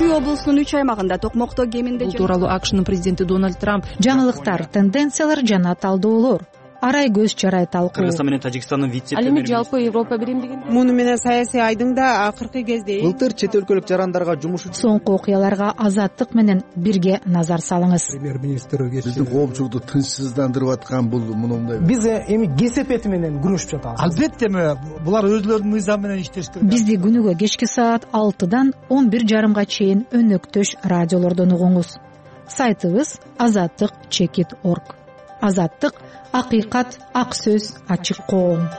Чүй облусунун 3 аймагында токмокто кеминде бул тууралуу АКШнын президенти Дональд Трамп жаңылыктар, тенденциялар жана талдоолор. Арай көз чарай талкуу. Кыргызстан менен Тажикстандын ал эми жалпы Европа биримдигин муну менен саясий айдыңда акыркы кезде былтыр чет өлкөлүк жарандарга жумуш үчүн соңку окуяларга азаттык менен бирге назар салыңыз. Премьер-министр биздин коомчулукту тынчсыздандырып аткан бул мындай. Биз эми кесепети менен күрөшүп жатабыз. Албетте булар өзлөрүнүн мыйзамы менен иштешти. Бизди күнүгө кечки саат 6-дан 11:30 чейин өнөктөш радиолордон угуңуз. Сайтыбыз azattik.org. Азаттык — акыйкат, ак сөз, ачык коом.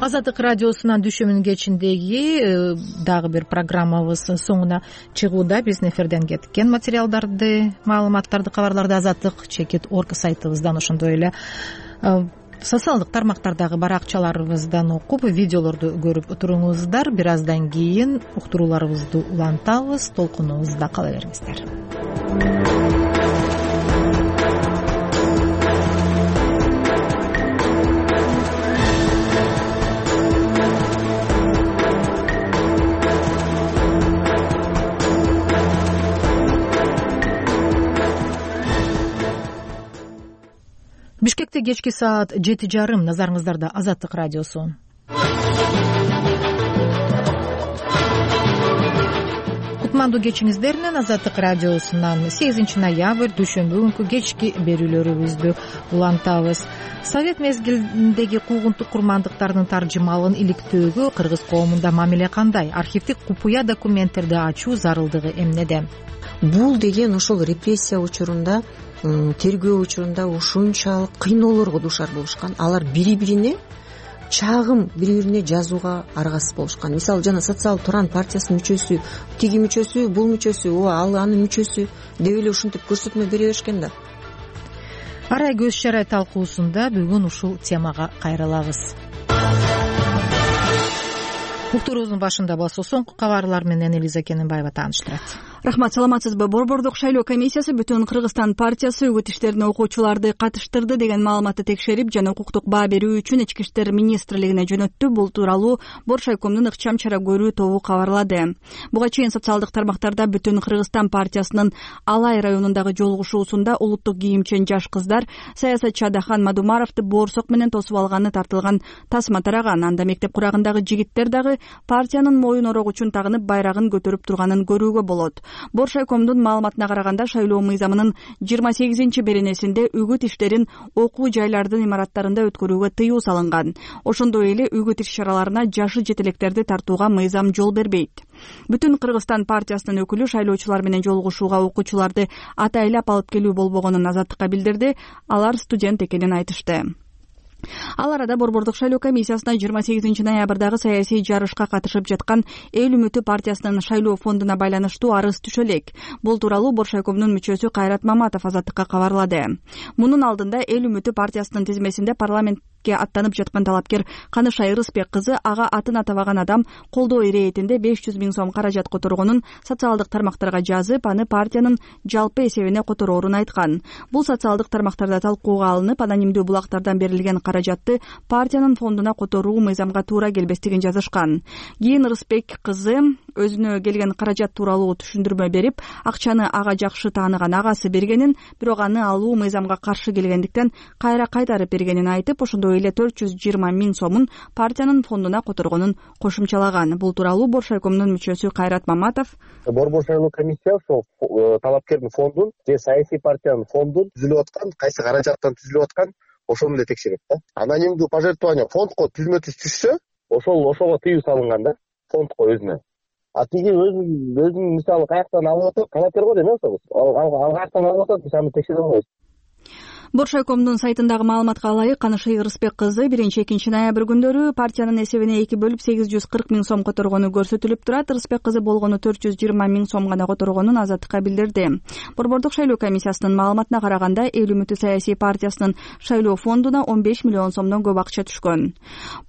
Азаттык радиосунан дүйшөмбүнүн кечиндеги дагы бир программабыз соңуна чыгууда. Биздин эфирден кеткен материалдарды, маалыматтарды, кабарларды azatlyk.org сайтыбыздан, ошондой эле социалдык тармактардагы баракчаларыбыздан окуп, видеолорду көрүп туруңуздар. Бир аздан кийин уктурууларыбызды улантабыз. Толкунубузда кала бериңиздер. Бишкекте кечки саат 7:30. Назарыңыздарда Азаттык радиосу. Кутмандуу кечиңиздер менен Азаттык радиосунан 8 ноябрь дүйшөмбү күнкү кечки берүүлөрүбүздү улантабыз. Совет мезгилиндеги куугунтук курмандыктардын таржымалын иликтөөгө кыргыз коомунда мамиле кандай? Архивдик купуя документтерди ачуу зарылдыгы эмнеде? Бул деген ошол репрессия учурунда, тергөө учурунда ушунчалык кыйноолорго дуушар болушкан. Алар бири-бирине чагым, бири-бирине жазууга аргасыз болушкан. Мисалы, жана социалдык туран партиясынын мүчөсү, тиги мүчөсү, бул мүчөсү, ал анын мүчөсү деп эле ушинтип көрсөтмө бере беришкен да. Арай көз чарай талкуусунда бүгүн ушул темага кайрылабыз. Уктуруубуздун башында болсо соңку кабарлар менен Элиза Кененбаева тааныштырат. Рахмат, саламатсызбы? Борбордук шайлоо комиссиясы Бүтүн Кыргызстан партиясы үгүт иштерине окуучуларды катыштырды деген маалыматты текшерип жана укуктук баа берүү үчүн Ички иштер министрлигине жөнөттү. Бул тууралуу Боршайкомдун ыкчам чара көрүү тобу кабарлады. Буга чейин социалдык тармактарда Бүтүн Кыргызстан партиясынын Алай районундагы жолугушуусунда улуттук кийимчен жаш кыздар саясатчы Адахан Мадумаровду боорсок менен тосуп алганы тартылган тасма тараган. Анда мектеп курагындагы жигиттер дагы партиянын моюн орогучун тагынып байрагын көтөрүп турганын көрүүгө болот. Боршайкомдун маалыматына караганда шайлоо мыйзамынын 28 беренесинде үгүт иштерин окуу жайлардын имараттарында өткөрүүгө тыюу салынган. Ошондой эле үгүт иш чараларына жашы жетелектерди тартууга мыйзам жол бербейт. Бүтүн Кыргызстан партиясынын өкүлү шайлоочулар менен жолугушууга окуучуларды атайлап алып келүү болбогонун Азаттыкка билдирди. Алар студент экенин айтышты. Ал арада Борбордук шайлоо комиссиясына 28 ноябрдагы саясий жарышка катышып жаткан Эл үмүтү партиясынын шайлоо фондуна байланыштуу арыз түшө элек. Бул тууралуу Боршайкомдун мүчөсү Кайрат Маматов Азаттыкка кабарлады. Мунун алдында Эл үмүтү партиясынын тизмесинде парламентке аттанып жаткан талапкер Канышай Ырысбек кызы ага атын атабаган адам колдоо иретинде 500 000 сом каражат которгонун социалдык тармактарга жазып, аны партиянын жалпы эсебине котороорун айткан. Бул социалдык тармактарда талкууга алынып, анонимдүү булактардан берилген каражатты партиянын фондуна которуу мыйзамга туура келбестигин жазышкан. Кийин Ырысбек кызы өзүнө келген каражат тууралуу түшүндүрмө берип, акчаны ага жакшы тааныган агасы бергенин, бирок аны алуу мыйзамга каршы келгендиктен кайра кайтарып бергенин айтып, ошондой эле 420 000 сомун партиянын фондуна которгонун кошумчалаган. Бул тууралуу Боршайкомдун мүчөсү Кайрат Маматов Борбор шайлоо комиссиясы ошол талапкердин фондун же саясий партиянын фондун түзүлүп аткан, кайсы каражаттан түзүлүп аткан ошону эле текшерет да. Анонимдүү пожертвование фондко түзмө-түз түшсө, ошого тыюу салынган да, фондко өзүнө. А тиги өзүн мисалы каяктан алып атат, талапкер го дейм ошол. Ал каяктан алып атат, биз аны текшере албайбыз. Боршайкомдун сайтындагы маалыматка ылайык, Канышай Ырысбек кызы 1-2 ноябрь күндөрү партиянын эсебине 2 бөлүп 840 000 сом которгону көрсөтүлүп турат. Ырысбек кызы болгону 420 000 сом гана которгонун Азаттыкка билдирди. Борбордук шайлоо комиссиясынын маалыматына караганда, Эл үмүтү саясий партиясынын шайлоо фондуна 15 миллион сомдон көп акча түшкөн.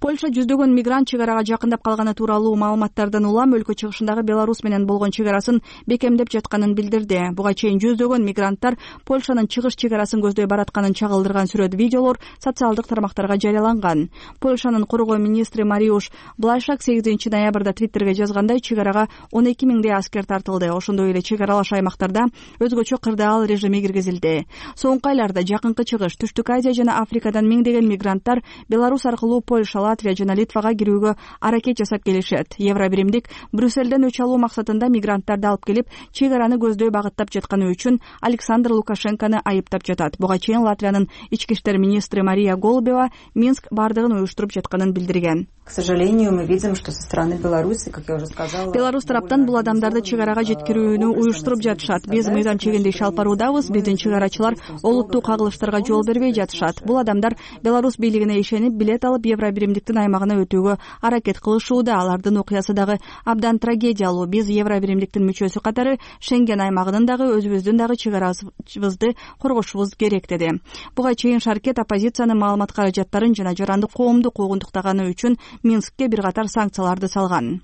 Польша жүздөгөн мигрант чек арага жакындап калганы тууралуу маалыматтардан улам өлкө чыгышындагы Беларусь менен болгон чек арасын бекемдеп жатканын билдирди. Буга чейин жүздөгөн мигранттар Польшанын чыгыш чек арасын көздөй баратканын чагылдырган сүрөт, видеолор социалдык тармактарга жарыяланган. Польшанын коргоо министри Мариуш Блайшак 8 ноябрда Твиттерге жазгандай, чек арага 12 000 аскер тартылды. Ошондой эле чек аралаш аймактарда өзгөчө кырдаал режими киргизилди. Соңку айларда Жакынкы Чыгыш, Түштүк Азия жана Африкадан миңдеген мигранттар Беларусь аркылуу Польша, Латвия жана Литвага кирүүгө аракет жасап келишет. Евробиримдик Брюссельден өч алуу максатында мигранттарды алып келип, чек араны көздөй багыттап жатканы үчүн Александр Лукашенкону айыптап жатат. Буга чейин менен Латвиянын ички иштер министри Мария Голубева Минск бардыгын уюштуруп жатканын билдирген. К сожалению, мы видим, что со стороны Беларуси, как я уже сказала, Беларусь тараптан бул адамдарды чек арага жеткирүүнү уюштуруп жатышат. Биз мыйзам чегинде иш алып баруудабыз. Биздин чек арачылар олуттуу кагылыштарга жол бербей жатышат. Бул адамдар Беларусь бийлигине ишенип, билет алып Евробиримдиктин аймагына өтүүгө аракет кылышууда. Алардын окуясы дагы абдан трагедиялуу. Биз Евробиримдиктин мүчөсү катары Шенген аймагынын дагы өзүбүздүн дагы чек арабызды коргошубуз керек деди. Буга чейин Шаркет оппозициянын маалымат каражаттарын жана жарандык коомду куугунтуктаганы үчүн Минскке бир катар санкцияларды салган.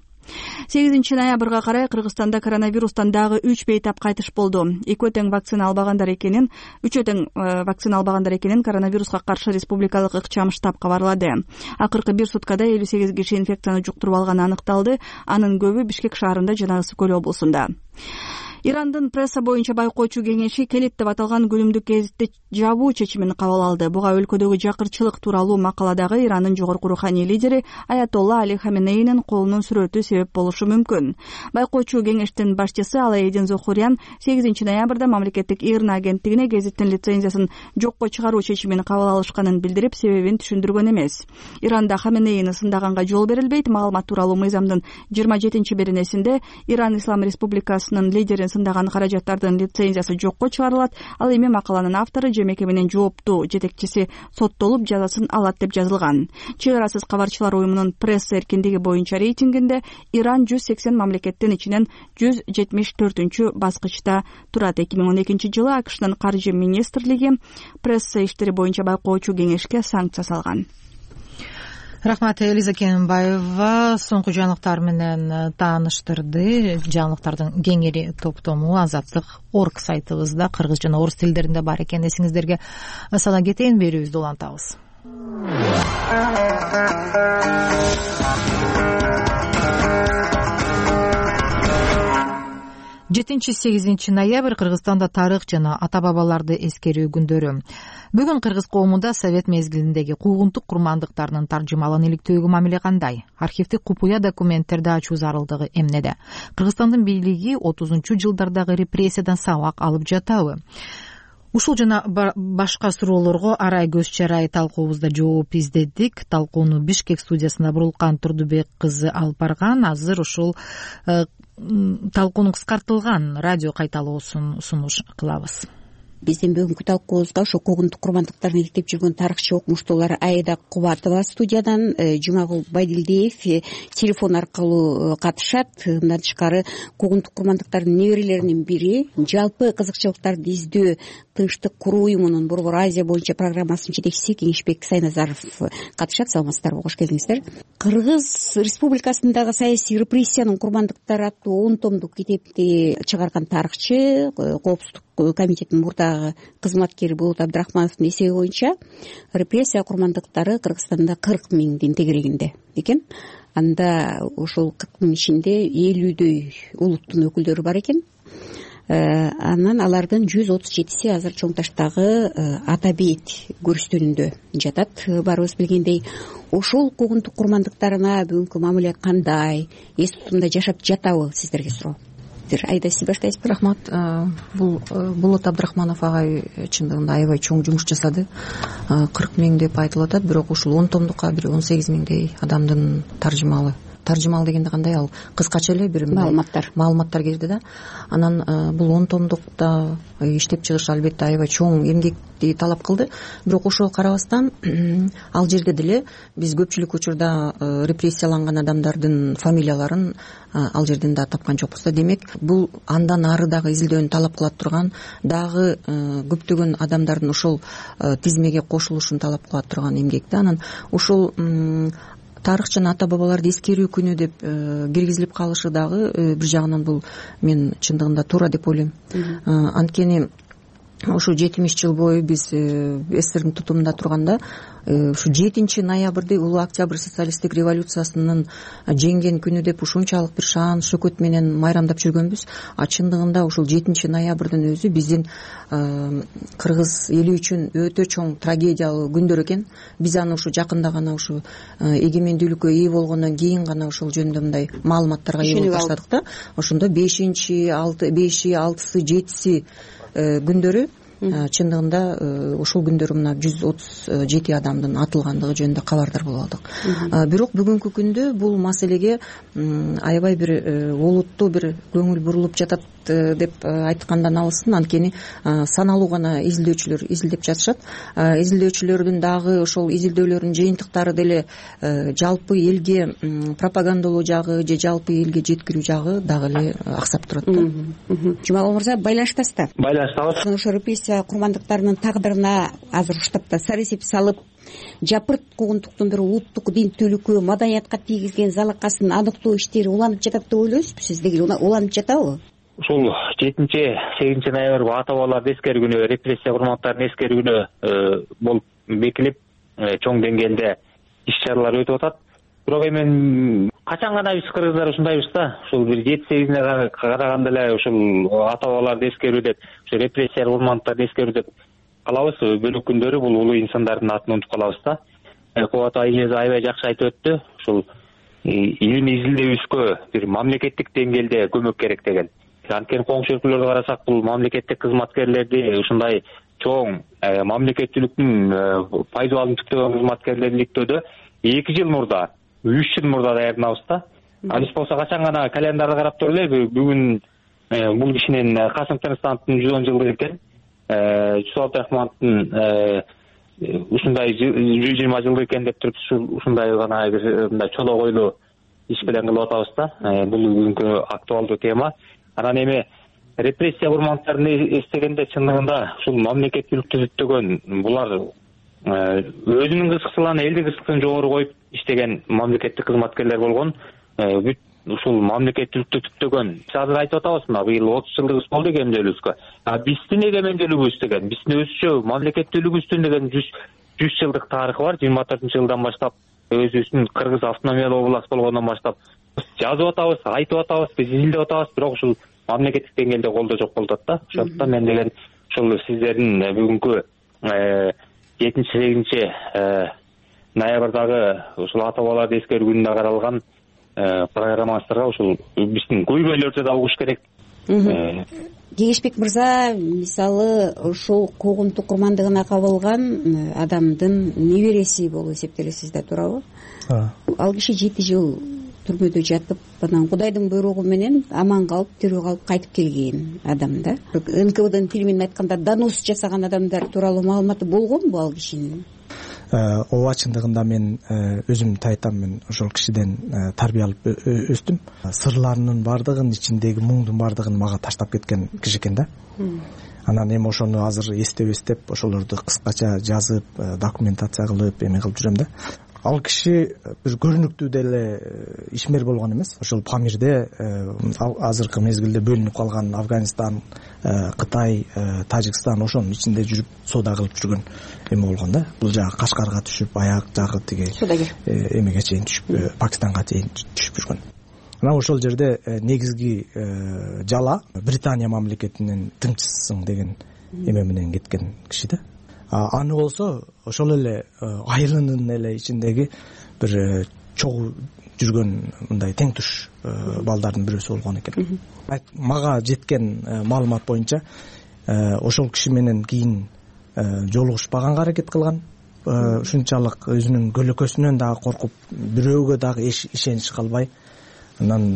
8 ноябрга карай Кыргызстанда коронавирустан дагы 3 бейтап кайтыш болду. Үчөө тең вакцина албагандар экенин коронавируска каршы республикалык ыкчам штаб кабарлады. Акыркы бир суткада 58 киши инфекцияны жуктуруп алганы аныкталды. Анын көбү Бишкек шаарында жана Ысык Көл облусунда. Ирандын пресса боюнча байкоочу кеңеши келет деп аталган күнүмдүк гезитти жабуу чечимин кабыл алды. Буга өлкөдөгү жакырчылык тууралуу макаладагы Ирандын жогорку руханий лидери Аятолла Али Хаменейнин колунун сүрөтү себеп болушу мүмкүн. Байкоочу кеңештин башчысы Алаэдин Зохурян 8 ноябрда мамлекеттик ИРНА агенттигине гезиттин лицензиясын жокко чыгаруу чечимин кабыл алышканын билдирип, себебин түшүндүргөн эмес. Иранда Хаменейни сындаганга жол берилбейт. Маалымат тууралуу мыйзамдын 27-беренесинде Иран Ислам Республикасынын лидерин сындаган каражаттардын лицензиясы жокко чыгарылат. Ал эми макаланын автору же мекеменин жооптуу жетекчиси соттолуп жазасын алат деп жазылган. Чек арасыз кабарчылар уюмунун пресса эркиндиги боюнча рейтингинде Иран 180 мамлекеттин ичинен 174 баскычта турат. 2012 жылы АКШнын каржы министрлиги пресса иштери боюнча байкоочу кеңешке санкция салган. Рахмат, Элиза Кенбаева соңку жаңылыктар менен тааныштырды. Жаңылыктардын кеңири топтому Азаттык.орг сайтыбызда кыргыз жана орус тилдеринде бар экен. Эсиңиздерге сала кетейин, берүүбүздү улантабыз. 7-8 ноябрь Кыргызстанда тарых жана ата-бабаларды эскерүү күндөрү. Бүгүн кыргыз коомунда совет мезгилиндеги куугунтук курмандыктарынын таржымалын иликтөөгө мамиле кандай? Архивдик купуя документтерди ачуу зарылдыгы эмнеде? Кыргызстандын бийлиги 30-жылдардагы репрессиядан сабак алып жатабы? Ушул жана башка суроолорго арай көз чарай талкуубузда жооп издедик. Талкууну Бишкек студиясына Бурулкан Турдубек кызы алып барган. Азыр ушул талкуунун кыскартылган радио кайталоосун сунуш кылабыз. Биздин бүгүнкү талкуубузда ошо куугунтук курмандыктарын иликтеп жүргөн тарыхчы окумуштуулар Айда Кубатова студиядан, Жумагул Байдилдиев телефон аркылуу катышат. Мындан тышкары куугунтук курмандыктардын неберелеринин бири, жалпы кызыкчылыктарды издөө Тынчтык куруу уюмунун Борбор Азия боюнча программасынын жетекчиси Кеңешбек Сайназаров катышат. Саламатсыздарбы, кош келиңиздер. Кыргыз Республикасындагы саясий репрессиянын курмандыктары аттуу 10 томдук китепти чыгарган тарыхчы, Коопсуздук комитетинин мурдагы кызматкери Болот Абдрахмановдун эсеби боюнча репрессия курмандыктары Кыргызстанда 40 миңдин тегерегинде экен. Анда ошол 40 миң ичинде 50дөй улуттун өкүлдөрү бар экен. Анан алардын 137си азыр чоң таштагы ата бейит көрүстөнүндө жатат. Баарыбыз билгендей, ошол куугунтук курмандыктарына бүгүнкү мамиле кандай, эс тутумда жашап жатабы, сиздерге суроо. Айда, сиз баштайсызбы? Рахмат. Бул Болот Абдрахманов агай чындыгында аябай чоң жумуш жасады. 40 миң деп айтылып атат, бирок ушул 10 томдукка бир 18 миңдей адамдын таржымалы дегенде кандай, ал кыскача эле бир маалыматтар кирди да. Анан бул 10 томдукта иштеп чыгыш албетте аябай чоң эмгекти талап кылды. Бирок ошого карабастан ал жерде деле биз көпчүлүк учурда репрессияланган адамдардын фамилияларын ал жерден да тапкан жокпуз да. Демек, бул андан ары дагы изилдөөнү талап кылат турган, дагы көптөгөн адамдардын ошол тизмеге кошулушун талап кылат турган эмгек да. Анан ушул тарых жана ата бабаларды эскерүү күнү деп киргизилип калышы дагы бир жагынан бул мен чындыгында туура деп ойлойм. Анткени ушу 70 жыл бою биз СССРдин тутумунда турганда ушу 7 ноябрды улуу октябрь социалисттик революциясынын жеңген күнү деп ушунчалык бир шаан шөкөт менен майрамдап жүргөнбүз. А чындыгында ушул 7 ноябрдын өзү биздин кыргыз эли үчүн өтө чоң трагедиялуу күндөр экен. Биз аны ушу жакында гана ушу эгемендүүлүккө ээ болгондон кийин гана ушул жөнүндө мындай маалыматтарга ээ болуп баштадык да. Ошондо 5-6-сы 7-си күндөрү чындыгында ушул күндөрү мына 137 адамдын атылгандыгы жөнүндө кабардар болуп алдык. Бирок бүгүнкү күндө бул маселеге аябай бир олуттуу бир көңүл бурулуп жатат деп айткандан алысын. Анткени саналуу гана изилдөөчүлөр изилдеп жатышат. Изилдөөчүлөрдүн дагы ошол изилдөөлөрдүн жыйынтыктары деле жалпы элге пропагандалоо жагы же жалпы элге жеткирүү жагы дагы эле аксап турат да. Жумагул мырза, байланыштасыз да? Байланыштабыз. Ошо репрессия курмандыктарынын тагдырына азыр уштапта сар эсеп салып, жапырт куугунтуктун бир улуттук динтүүлүккө, маданиятка тийгизген залакасын аныктоо иштери уланып жатат деп ойлойсузбу? Сиз деги уланып жатабы? Ушул 7-8 ноябрь ата бабаларды эскерүү күнү, репрессия курмандыктарын эскерүү күнү болуп бекилип, чоң деңгээлде иш-чаралар өтүп атат. Бирок эми качан гана биз кыргыздар ушундайбыз да, ушул бир 7-8 караганда эле ушул ата бабаларды эскерүү деп, ушул репрессия курмандыктарын эскерүү деп калабыз. Бөлөк күндөрү бул улуу инсандардын атын унутуп калабыз да. Кубат айыңыз аябай жакшы айтып өттү. Ушул илимий изилдөөбүзгө бир мамлекеттик деңгээлде көмөк керек деген. Анткени коңшу өлкөлөрдү карасак, бул мамлекеттик кызматкерлерди ушундай чоң мамлекеттүүлүктүн пайдабалын түптөгөн кызматкерлерди иликтөөдө 2 жыл мурда, 3 жыл мурда даярданабыз да. Биз болсо качан гана календарды карап туруп эле, бүгүн бул кишинин Касым Тыныстановдун 110 жылдыгы экен. Жусуп Абдрахмановдун ушундай 120 жылдыгы экен деп туруп ушундай гана бир мындай чолок ойлуу иш менен кылып атабыз да. Бул бүгүнкү актуалдуу тема. Анан эми репрессия курмандыктарын эстегенде чындыгында ушул мамлекеттүүлүктү түптөгөн, булар өзүнүн кызыкчылыгын, элдин кызыкчылыгын жогору коюп иштеген мамлекеттик кызматкерлер болгон. Бүт ушул мамлекеттүүлүктү түптөгөн. Биз азыр айтып атабыз, мына быйыл 30 жылдыгыбыз болду эгемендүүлүгүбүзгө. Биздин эгемендүүлүгүбүз деген, биздин өзүчө мамлекеттүүлүгүбүздүн деген 100 жылдык тарыхы бар. 24-жылдан баштап өзүбүздүн Кыргыз автономиялуу область болгондон баштап жазып атабыз, айтып атабыз, биз изилдеп атабыз, бирок ушул мамлекеттик деңгээлде колдоо жок болуп атат да. Ошондуктан мен деген ушул сиздердин бүгүнкү 7-8 ноябрдагы ушул ата бабаларды эскерүү күнүнө каралган программаңыздарга ушул биздин көйгөйлөрдү да угуш керек. Кеңешбек мырза, мисалы ушул куугунтук курмандыгына кабылган адамдын небереси болуп эсептелесиз да, туурабы? Ал киши 7 жыл түрмөдө жатып, анан Кудайдын буйругу менен аман калып, тирүү калып кайтып келген адам да. НКВДнын тили менен айтканда донос жасаган адамдар тууралуу маалыматы болгонбу ал кишинин? Ооба, чындыгында мен өзүм тайтам, мен ошол кишиден тарбия алып өстүм. Сырларынын бардыгын, ичиндеги муңдун бардыгын мага таштап кеткен киши экен да. Анан эми ошону азыр эстеп ошолорду кыскача жазып, документация кылып, эме кылып жүрөм да. Ал киши бир көрүнүктүү деле ишмер болгон эмес. Ошол Памирде азыркы мезгилде бөлүнүп калган Афганистан, Кытай, Тажикстан ошонун ичинде жүрүп соода кылып жүргөн эме болгон да. Бул жагы Кашкарга түшүп, аяк жагы тиги эмеге чейин түшүп, Пакистанга чейин түшүп жүргөн. Анан ошол жерде негизги жала Британия мамлекетинин тыңчысысың деген эме менен кеткен киши да. Аны болсо ошол эле айылынын эле ичиндеги бир чогуу жүргөн мындай тең туш балдардын бирөөсү болгон экен. Мага жеткен маалымат боюнча ошол киши менен кийин жолугушпаганга аракет кылган. Ушунчалык өзүнүн көлөкөсүнөн дагы коркуп, бирөөгө дагы ишенич кылбай. Анан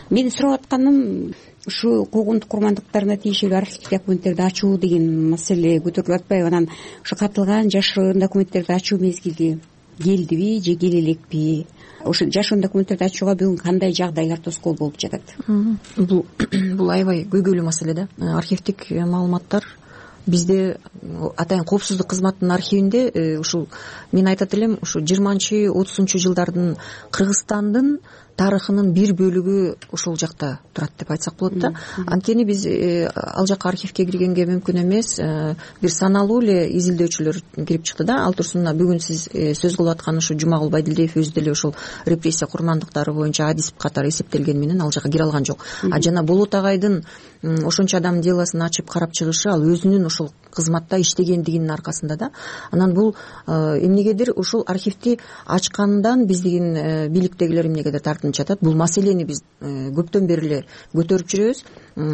мен сурап атканым, ушу куугунтук курмандыктарына тийиштүү архивдик документтерди ачуу деген маселе көтөрүлүп атпайбы? Анан ушу катылган жашыруун документтерди ачуу мезгили келдиби же келе элекпи? Ошо жашыруун документтерди ачууга бүгүн кандай жагдайлар тоскоол болуп жатат? Бул аябай көйгөйлүү маселе да. Архивдик маалыматтар бизде атайын коопсуздук кызматынын архивинде ушул мен айтат элем, ушу 20-30 жылдардын Кыргызстандын тарыхынын бир бөлүгү ошол жакта турат деп айтсак болот да. Анткени биз ал жака архивге киргенге мүмкүн эмес, бир саналуу эле изилдөөчүлөр кирип чыкты да. Ал турсун бүгүн сиз сөз кылып аткан ушу Жумагул Байдилдиев өзү деле ошол репрессия курмандыктары боюнча адис катары эсептелгени менен ал жака кире алган жок. Жана Болот агайдын ошончо адамдын делосын ачып карап чыгышы, ал өзүнүн ошол кызматта иштегендигинин аркасында да. Анан бул эмнегедир ушул архивди ачкандан биздин бийликтегилер эмнегедир тартынып жатат. Бул маселени биз көптөн бери эле көтөрүп жүрөбүз.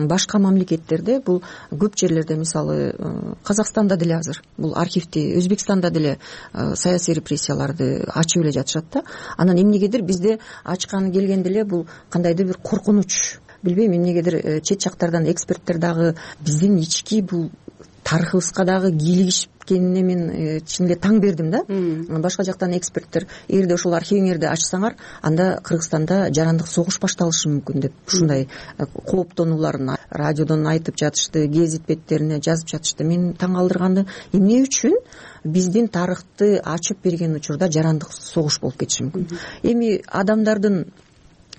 Башка мамлекеттерде бул көп жерлерде, мисалы Казакстанда деле азыр бул архивди, Өзбекстанда деле саясий репрессияларды ачып эле жатышат да. Анан эмнегедир бизде ачканы келгенде эле бул кандайдыр бир коркунуч, билбейм, эмнегедир чет жактардан эксперттер дагы биздин ички бул тарыхыбызга дагы кийлигишкенине мен чын эле таң бердим да. Башка жактан эксперттер эгерде ошол архивиңерди ачсаңар, анда Кыргызстанда жарандык согуш башталышы мүмкүн деп ушундай кооптонууларын радиодон айтып жатышты, гезит беттерине жазып жатышты. Мен таң калтырганы эмне үчүн биздин тарыхты ачып берген учурда жарандык согуш болуп кетиши мүмкүн. Эми адамдардын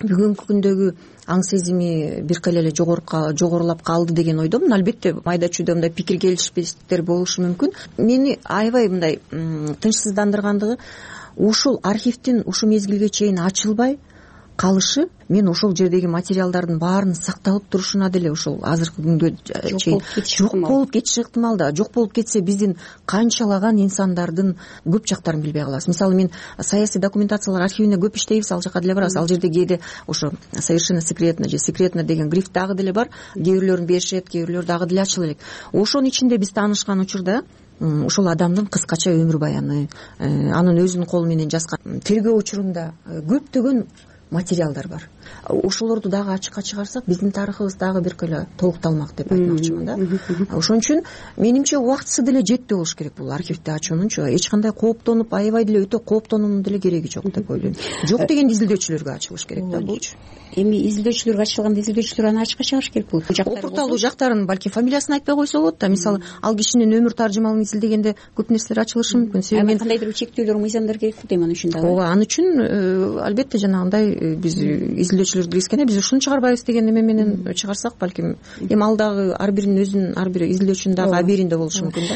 бүгүнкү күндөгү аң сезими бир кайла эле жогорулап калды деген ойдомун. Албетте майда чүйдө мындай пикир келишпестиктер болушу мүмкүн. Мени аябай мындай тынчсыздандыргандыгы ушул архивдин ушу мезгилге чейин ачылбай калышы, мен ошол жердеги материалдардын баарын сакталып турушуна деле ошол азыркы күнгө чейин жок болуп кетиши ыктымал да. Жок болуп кетсе биздин канчалаган инсандардын көп жактарын билбей калабыз. Мисалы мен саясий документациялар архивине көп иштейбиз, ал жака деле барабыз. Ал жерде кээде ошо совершенно секретно же секретно деген гриф дагы деле бар. Кээ бирлөрүн беришет, кээ бирлөр дагы деле ачыла элек. Ошонун ичинде биз таанышкан учурда ошол адамдын кыскача өмүр баяны, анын өзүнүн колу менен жазган тергөө учурунда көптөгөн материалдар бар. Ошолорду дагы ачыкка чыгарсак, биздин тарыхыбыз дагы бир кыйла толукталмак деп айтмакчымын да. Ошон үчүн менимче убактысы деле жетти болуш керек бул архивди ачуунунчу. Эч кандай кооптонуп, аябай деле өтө кооптонуунун деле кереги жок деп ойлойм. Жок дегенде изилдөөчүлөргө ачылыш керек да булчу. Эми изилдөөчүлөргө ачылганда изилдөөчүлөр аны ачыкка чыгарыш керек бул. Опурталуу жактарын балки фамилиясын айтпай койсо болот да. Мисалы, ал кишинин өмүр таржымалын изилдегенде көп нерселер ачылышы мүмкүн. Себеби кандайдыр бир чектөөлөр, мыйзамдар керек болот эми анын үчүн дагы. Ооба, анын үчүн албетте жанагындай биз изилдөөчүлөрдү киргизгенде биз ушуну чыгарбайбыз деген эме менен чыгарсак, балким эми ал дагы ар биринин өзүнүн, ар бир изилдөөчүнүн дагы абийиринде болушу мүмкүн да.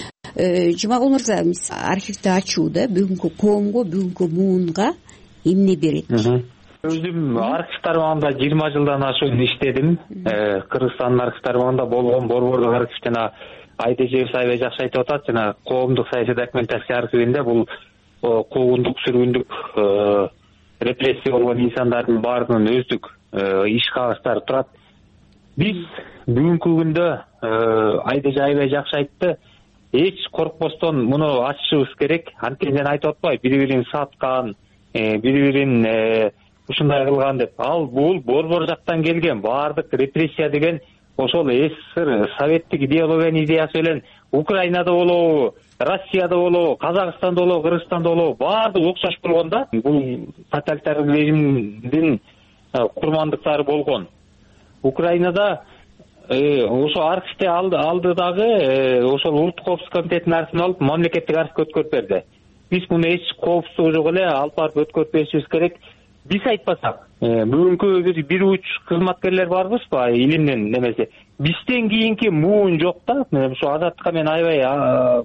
Жумагул мырза, архивди ачуу да бүгүнкү коомго, бүгүнкү муунга эмне берет? Өзүм архив тармагында 20 жылдан ашуун иштедим. Кыргызстандын архив тармагында болгон борбордук архив жана Айдежебиев аябай жакшы айтып атат. Жана коомдук саясий документация архивинде бул куугундук, сүргүндүк, репрессия болгон инсандардын баарынын өздүк иш кагыстары турат. Биз бүгүнкү күндө Айдеже аябай жакшы айтты. Эч коркпостон муну ачышыбыз керек. Анткени мен айтып атпайбы, бири-бирин саткан, бири-бирин ушундай кылган деп. Ал бул борбор жактан келген баардык репрессия деген ошол СССР советтик идеологиянын идеясы менен Украинада болобу, Россияда болобу, Казакстанда болобу, Кыргызстанда болобу баардыгы окшош болгон да. Бул тоталитардык режимдин курмандыктары болгон. Украинада ошо архивди алды дагы ошол улуттук коопсуздук комитетинин архивин алып мамлекеттик архивге өткөрүп берди. Биз муну эч коопсуздугу жок эле алып барып өткөрүп беришибиз керек. Биз айтпасак, бүгүнкү бир уч кызматкерлер барбызбы, илимдин немеси. Бизден кийинки муун жок да. Ушу азаттыкка мен аябай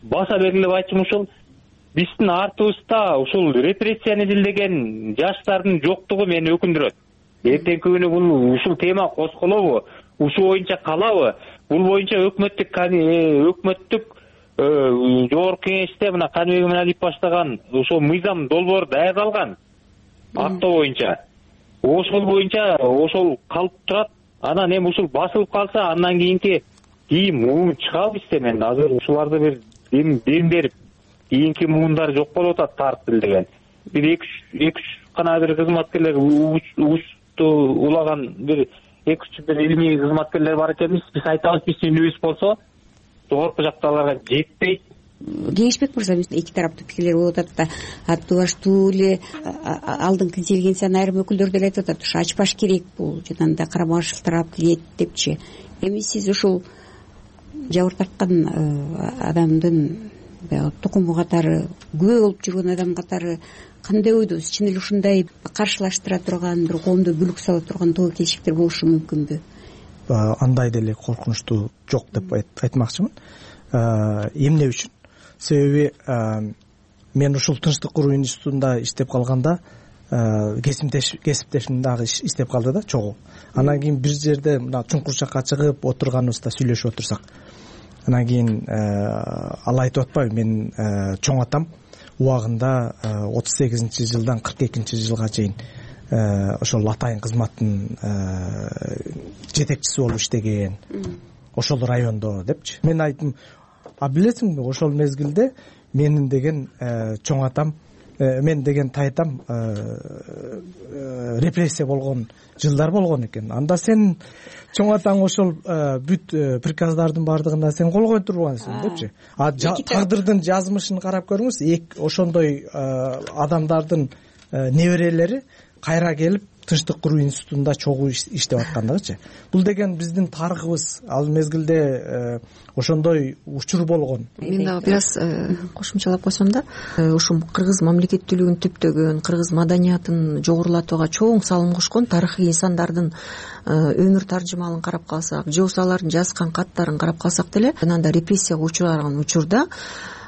баса белгилеп айтчумун, ушул биздин артыбызда ушул репрессияны изилдеген жаштардын жоктугу мени өкүндүрөт. Эртеңки күнү бул ушул тема козголобу, ушул боюнча калабы? Бул боюнча өкмөттүк жогорку кеңеште мына Каныбек Иманалиев баштаган ошол мыйзам долбоору даярдалган. Акто боюнча. Ошол боюнча ошол калып турат. Анан эми ушул басылып калса, андан кийинки муун чыгабы бизде. Мен азыр ушуларды бир дем берип, кийинки муундар жок болуп атат тарт деген. Бир 2-3 гана бир кызматкерлер угучту улаган бир 2-3 бир илимий кызматкерлер бар экенбиз. Биз айтабыз, биздин үнүбүз болсо жогорку жактагыларга жетпейт. Кеңешбек мырза, эки тараптуу пикирлер болуп атат да, аттуу эле алдыңкы интеллигенциянын айрым өкүлдөрү деле айтып атат, ушу ачпаш керек, бул жанагындай карама каршылыктар келет депчи. Эми сиз ушул жабыр тарткан адамдын тукуму катары, күбө болуп жүргөн адам катары кандай ойдосуз? Чын эле ушундай каршылаштыра турган, бир коомдо бүлүк сала турган тобокелчиликтер болушу мүмкүнбү? Андай деле коркунучтуу жок деп айтмакчымын. Эмне үчүн? Себеби мен ушул Тынчтык куруу институтунда иштеп калганда кесиптешим дагы иштеп калды да, чогуу. Анан кийин бир жерде мына чуңкурчакка чыгып отурганыбызда сүйлөшүп отурсак, анан кийин ал айтып атпайбы, мен чоң атам убагында 38-жылдан 42-жылга чейин ошол атайын кызматтын жетекчиси болуп иштеген, ошол райондо депчи. Мен айттым, а билесиңби, ошол мезгилде менин деген чоң атам, мен деген тайтам репрессия болгон жылдар болгон экен. Анда сен чоң атаң ошол бүт приказдардын бардыгына сен кол коюп турбайсың депчи. Тагдырдын жазмышын карап көрүңүз, ошондой адамдардын неберелери кайра келип Тынчтык куруу институтунда чогуу иштеп аткандыгычы. Бул деген биздин тарыхыбыз, ал мезгилде ошондой учур болгон. Мен дагы бир аз кошумчалап койсом да, ушул кыргыз мамлекеттүүлүгүн түптөгөн, кыргыз маданиятын жогорулатууга чоң салым кошкон тарыхый инсандардын өмүр таржымалын карап калсак, же болбосо алардын жазган каттарын карап калсак деле, ананда репрессияга учураган учурда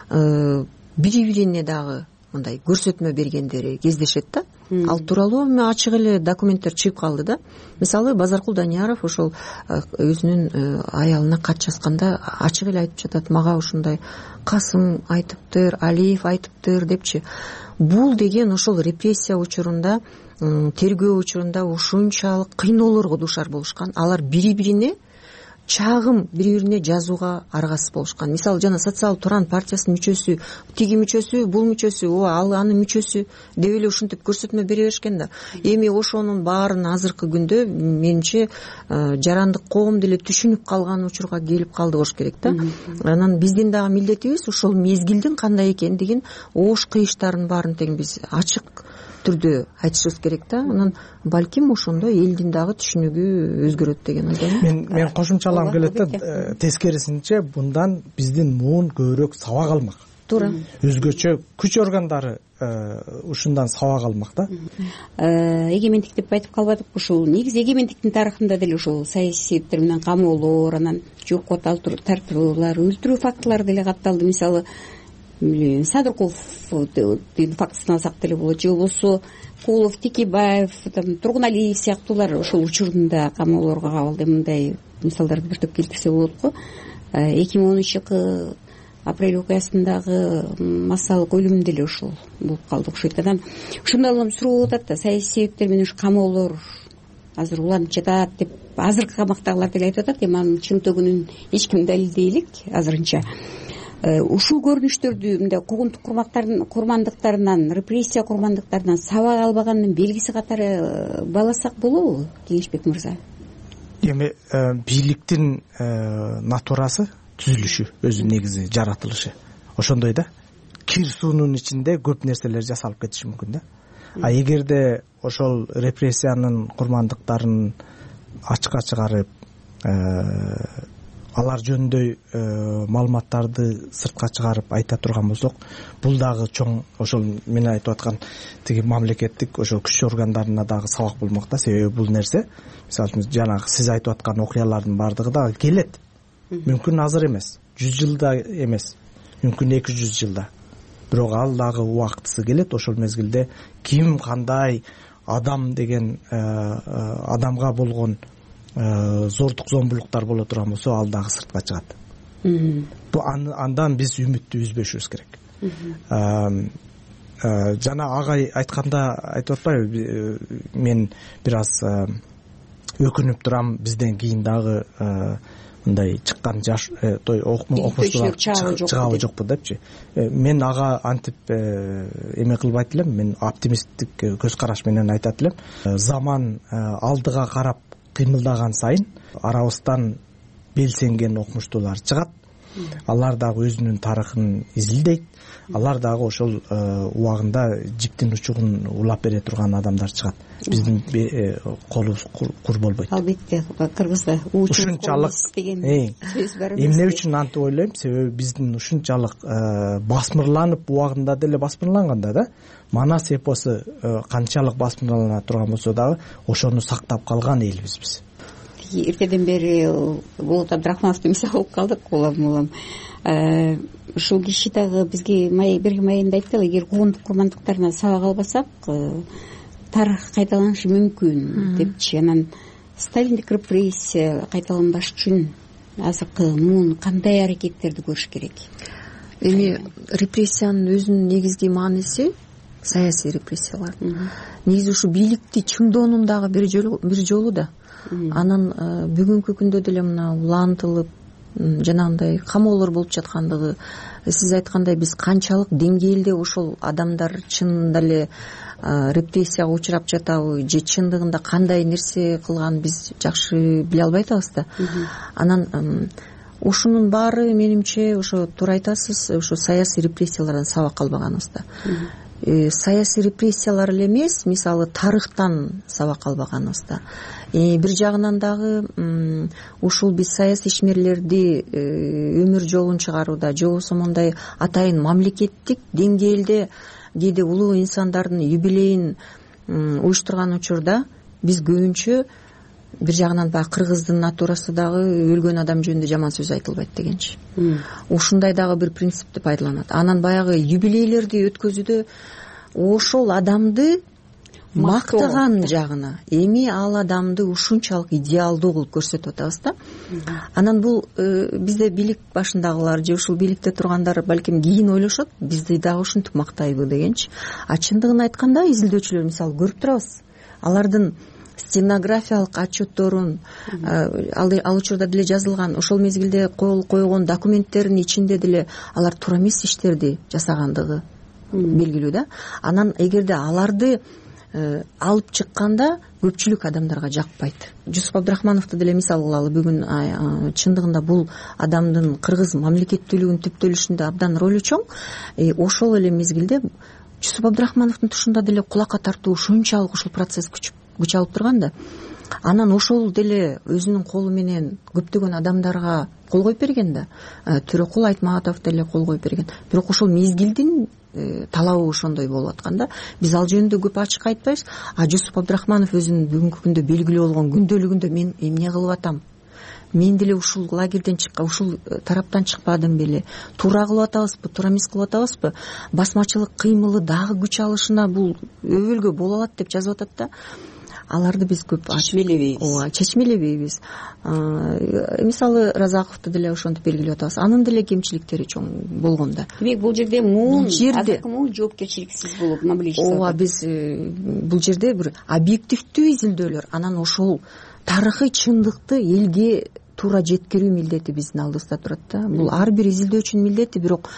бири-бирине дагы мындай көрсөтмө бергендери кездешет да. Ал тууралуу ачык эле документтер чыгып калды да. Мисалы, Базаркул Данияров ошол өзүнүн аялына кат жазганда ачык эле айтып жатат, мага ушундай Касым айтыптыр, Алиев айтыптыр депчи. Бул деген ошол репрессия учурунда, тергөө учурунда ушунчалык кыйноолорго дуушар болушкан. Алар бири-бирине чагым бири-бирине жазууга аргасыз болушкан. Мисалы, жана Социал Туран партиясынын мүчөсү, тиги мүчөсү, бул мүчөсү, ал анын мүчөсү деп эле ушинтип көрсөтмө бере беришкен да. Эми ошонун баарын азыркы күндө менимче жарандык коом деле түшүнүп калган учурга келип калды болуш керек да. Анан биздин дагы милдетибиз ошол мезгилдин кандай экендигин, оош кыйыштарын баарын тең биз ачык түрдө айтышыбыз керек да. Анан балким ошондо элдин дагы түшүнүгү өзгөрөт деген ойдомун. Мен кошумчалам келет да, тескерисинче мындан биздин муун көбүрөөк сабак алмак. Туура. Өзгөчө күч органдары ушундан сабак алмак да. Эгемендик деп айтып калбадык. Ушул негизи эгемендиктин тарыхында деле ушул саясий себептер менен камоолор, анан жокко тартуулар, өлтүрүү фактылары деле катталды. Мисалы, Садырковдун фактысын алсак деле болот, же болбосо Кулов, Текебаев, Тургуналиев сыяктуулар ошол учурунда камоолорго кабылды. Мындай мисалдарды бир топ келтирсе болот го. 2010-жылкы апрель окуясындагы массалык өлүм деле ошол болуп калды окшойт. Анан ошондой улам суроо болуп атат да, саясий себептер менен ушу камоолор азыр уланып жатат деп азыркы камактагылар деле айтып атат. Эми анын чынтөгүнүн эч ким далилдей элек азырынча. Ушул көрүнүштөрдү мындай куугунтук курмандыктарынан, репрессия курмандыктарынан сабак албаганын белгиси катары бааласак болобу, Кеңешбек мырза? Эми бийликтин натурасы, түзүлүшү, өзү негизи жаратылышы ошондой да. Кир суунун ичинде көп нерселер жасалып кетиши мүмкүн да. А эгерде ошол репрессиянын курмандыктарын ачыкка чыгарып, алар жөнүндө маалыматтарды сыртка чыгарып айта турган болсок, бул дагы чоң ошол мен айтып аткан тиги мамлекеттик ошол күч органдарына дагы сабак болмок да. Себеби бул нерсе, мисалы жанагы сиз айтып аткан окуялардын бардыгы дагы келет. Мүмкүн азыр эмес, 100 жылда эмес, мүмкүн 200 жылда. Бирок ал дагы убактысы келет. Ошол мезгилде ким кандай адам деген адамга болгон зордук зомбулуктар боло турган болсо, ал дагы сыртка чыгат. Андан биз үмүттү үзбөшүбүз керек. Жана агай айтканда айтып атпайбы, мен бир аз өкүнүп турам, бизден кийин дагы мындай чыккан жаш окумуштуулар чыгабы жокпу депчи. Мен ага антип эме кылбайт элем, мен оптимисттик көз караш менен айтат элем. Заман алдыга карап кыймылдаган сайын арабыздан белсенген окумуштуулар чыгат. Алар дагы өзүнүн тарыхын изилдейт. Алар дагы ошол убагында жиптин учугун улап бере турган адамдар чыгат. Биздин колубуз кур болбойт. Албетте, кыргызда ушунчалык деген сөз бар. Эмне үчүн антип ойлойм? Себеби биздин ушунчалык басмырланып, убагында деле басмырланганда да, Манас эпосу канчалык басмырлана турган болсо дагы ошону сактап калган элбиз биз. Эртеден бери Болот Абдрахмановду мисал алып калдык, улам. Ушул киши дагы бизге бир майында айтты, эгер куугунтук курмандыктарынан сабак албасак, тарых кайталанышы мүмкүн депчи. Анан Сталиндик репрессия кайталанбаш үчүн азыркы муун кандай аракеттерди көрүш керек? Эми репрессиянын өзүнүн негизги мааниси саясий репрессиялар. Негизи ушу бийликти чыңдоонун дагы бир жолу да. Анан бүгүнкү күндө деле мына улантылып жанагындай камоолор болуп жаткандыгы, сиз айткандай биз канчалык деңгээлде ошол адамдар чынында эле репрессияга учурап жатабы же чындыгында кандай нерсе кылганын биз жакшы биле албай атабыз да. Анан ушунун баары менимче ошо туура айтасыз, ошо саясий репрессиялардан сабак албаганыбызда. Саясий репрессиялар эле эмес, мисалы тарыхтан сабак албаганыбызда. Бир жагынан дагы ушул биз саясий ишмерлерди өмүр жолун чыгарууда же болбосо мондай атайын мамлекеттик деңгээлде кээде улуу инсандардын юбилейин уюштурган учурда биз көбүнчө бир жагынан баягы кыргыздын натурасы дагы өлгөн адам жөнүндө жаман сөз айтылбайт дегенчи. Ушундай дагы бир принципти пайдаланат. Анан баягы юбилейлерди өткөзүүдө ошол адамды мактаган жагына, эми ал адамды ушунчалык идеалдуу кылып көрсөтүп атабыз да. Анан бул бизде бийлик башындагылар же ушул бийликте тургандар балким кийин ойлошот, бизди дагы ушинтип мактайбы дегенчи. А чындыгын айтканда изилдөөчүлөр мисалы көрүп турабыз. Алардын стенографиялык отчетторун ал учурда деле жазылган, ошол мезгилде кол койгон документтердин ичинде деле алар туура эмес иштерди жасагандыгы белгилүү да. Анан эгерде аларды алып чыкканда көпчүлүк адамдарга жакпайт. Жусуп Абдрахмановду деле мисал кылалы. Бүгүн чындыгында бул адамдын кыргыз мамлекеттүүлүгүнүн түптөлүшүндө абдан ролу чоң. Ошол эле мезгилде Жусуп Абдрахмановдун тушунда деле кулакка тартуу ушунчалык ушул процесс күч алып турган да. Анан ошол деле өзүнүн колу менен көптөгөн адамдарга кол коюп берген да. Төрөкул Айтматов деле кол коюп берген. Бирок ошол мезгилдин талабы ошондой болуп аткан да. Биз ал жөнүндө көп ачык айтпайбыз. Жусуп Абдрахманов өзүнүн бүгүнкү күндө белгилүү болгон күндөлүгүндө мен эмне кылып атам? Мен деле ушул лагерден чыккан, ушул тараптан чыкпадым беле? Туура кылып атабызбы, туура эмес кылып атабызбы? Басмачылык кыймылы дагы күч алышына бул өбөлгө боло алат деп жазып атат да. Аларды биз көп чечмелебейбиз. Мисалы Разаковду деле ошентип белгилеп атабыз. Анын деле кемчиликтери чоң болгон да. Демек бул жерде азыркы жоопкерчиликсиз болуп мамиле биз бул жерде бир объективдүү изилдөөлөр, анан ошол тарыхый чындыкты элге туура жеткирүү милдети биздин алдыбызда турат да. Бул ар бир изилдөөчүнүн милдети, бирок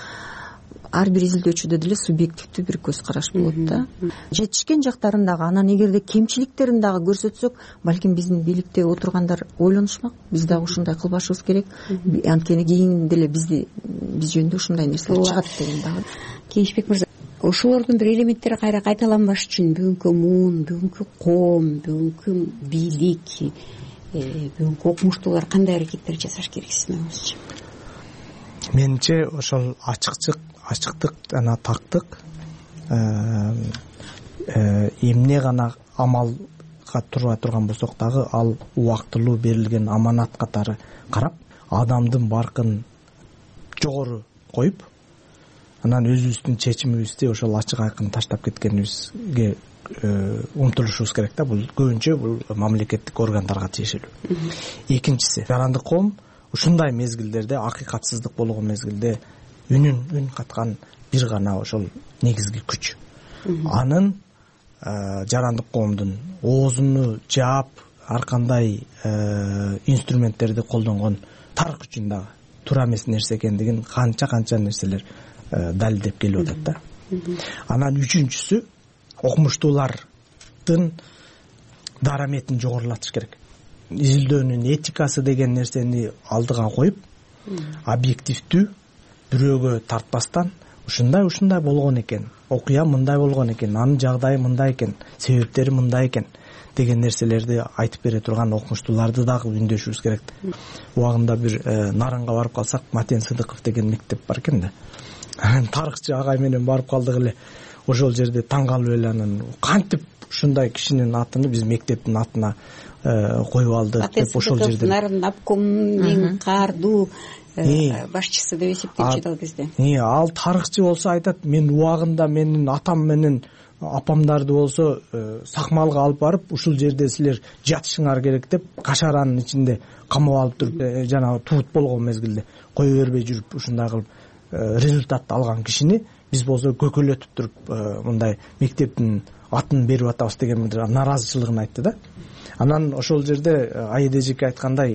ар бир изилдөөчүдө деле субъективдүү бир көз караш болот да. Жетишкен жактарын дагы, анан эгерде кемчиликтерин дагы көрсөтсөк, балким биздин бийликте отургандар ойлонушмак. Биз дагы ушундай кылбашыбыз керек. Анткени кийин деле биз жөнүндө ушундай нерселер чыгат деген дагы. Кенжбек мырза, ошолордун бир элементтери кайра кайталанбаш үчүн бүгүнкү муун, бүгүнкү коом, бүгүнкү бийлик, бүгүнкү окумуштуулар кандай аракеттер жасаш керек сиздин оюңузча? Менимче ошол ачыктык жана тактык эмне гана амалга турбай турган болсок дагы ал убактылуу берилген аманат катары карап, адамдын баркын жогору коюп, анан өзүбүздүн чечимибизди ошол ачык айкын таштап кеткенибизге умтулушубуз керек да. Бул көбүнчө бул мамлекеттик органдарга тиешелүү. Экинчиси, жарандык коом ушундай мезгилдерде, акыйкатсыздык болгон мезгилде үн каткан бир гана ошол негизги күч. Анын жарандык коомдун оозуну жаап, ар кандай инструменттерди колдонгон тарых үчүн дагы туура эмес нерсе экендигин канча нерселер далилдеп келип атат да. Анан үчүнчүсү, окумуштуулардын дараметин жогорулатыш керек. Изилдөөнүн этикасы деген нерсени алдыга коюп, объективдүү, бирөөгө тартпастан, ушундай болгон экен, окуя мындай болгон экен, анын жагдайы мындай экен, себептери мындай экен деген нерселерди айтып бере турган окумуштууларды дагы үндөшүбүз керек. Убагында бир Нарынга барып калсак, Матен Сыдыков деген мектеп бар экен да. Тарыхчы агай менен барып калдык эле. Ошол жерде таң калып эле, анан кантип ушундай кишинин атын биз мектептин атына коюп алдык деп ошол жерде Нарын обкомдун каардуу башчысы деп эсептелчү ал кезде. Ал тарыхчы болсо айтат, мен убагында менин атам менен апамдарды болсо сакмалга алып барып ушул жерде силер жатышыңар керек деп кашаранын ичинде камап алып туруп жанагы туут болгон мезгилде кое бербей жүрүп ушундай кылып результатты алган кишини биз болсо көкөлөтүп туруп мындай мектептин атын берип атабыз деген бир нааразычылыгын айтты да. Анан ошол жерде Аида эжеке айткандай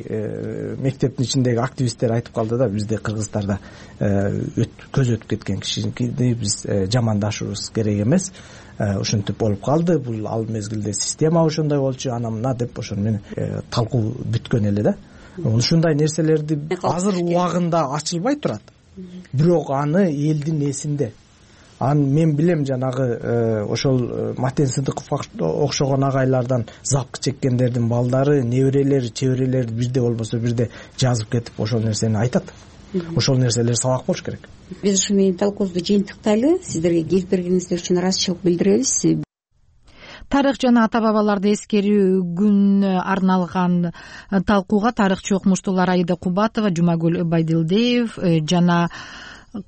мектептин ичиндеги активисттер айтып калды да, бизде Кыргызстарда көз өтүп кеткен кишини биз жамандашыбыз керек эмес, ушинтип болуп калды, бул ал мезгилде система ошондой болчу, ана мына деп ошону менен талкуу бүткөн эле да. Ушундай нерселерди азыр убагында ачылбай турат, бирок аны элдин эсинде. Мен билем жанагы ошол Матен Сыдыков окшогон агайлардан запкы чеккендердин балдары, неберелери, чеберелери бирде болбосо бирде жазып кетип ошол нерсени айтат. Ошол нерселер сабак болуш керек. Биз ушу менен талкуубузду жыйынтыктайлы. Сиздерге келип бергениңиздер үчүн ыраазычылык билдиребиз. Тарых жана ата бабаларды эскерүү күнүнө арналган талкууга тарыхчы окумуштуулар Аида Кубатова, Жумагүл Байдилдиев жана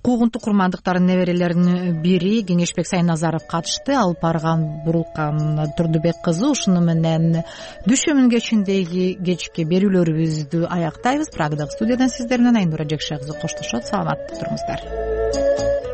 куугунтук курмандыктардын неберелеринин бири Кеңешбек Сайназаров катышты. Алып барган Бурулкан Турдубек кызы. Ушуну менен дүйшөмүн кечиндеги кечки берүүлөрүбүздү аяктайбыз. Прагадагы студиядан сиздер менен Айнура Жекше кызы коштошот. Саламатта туруңуздар.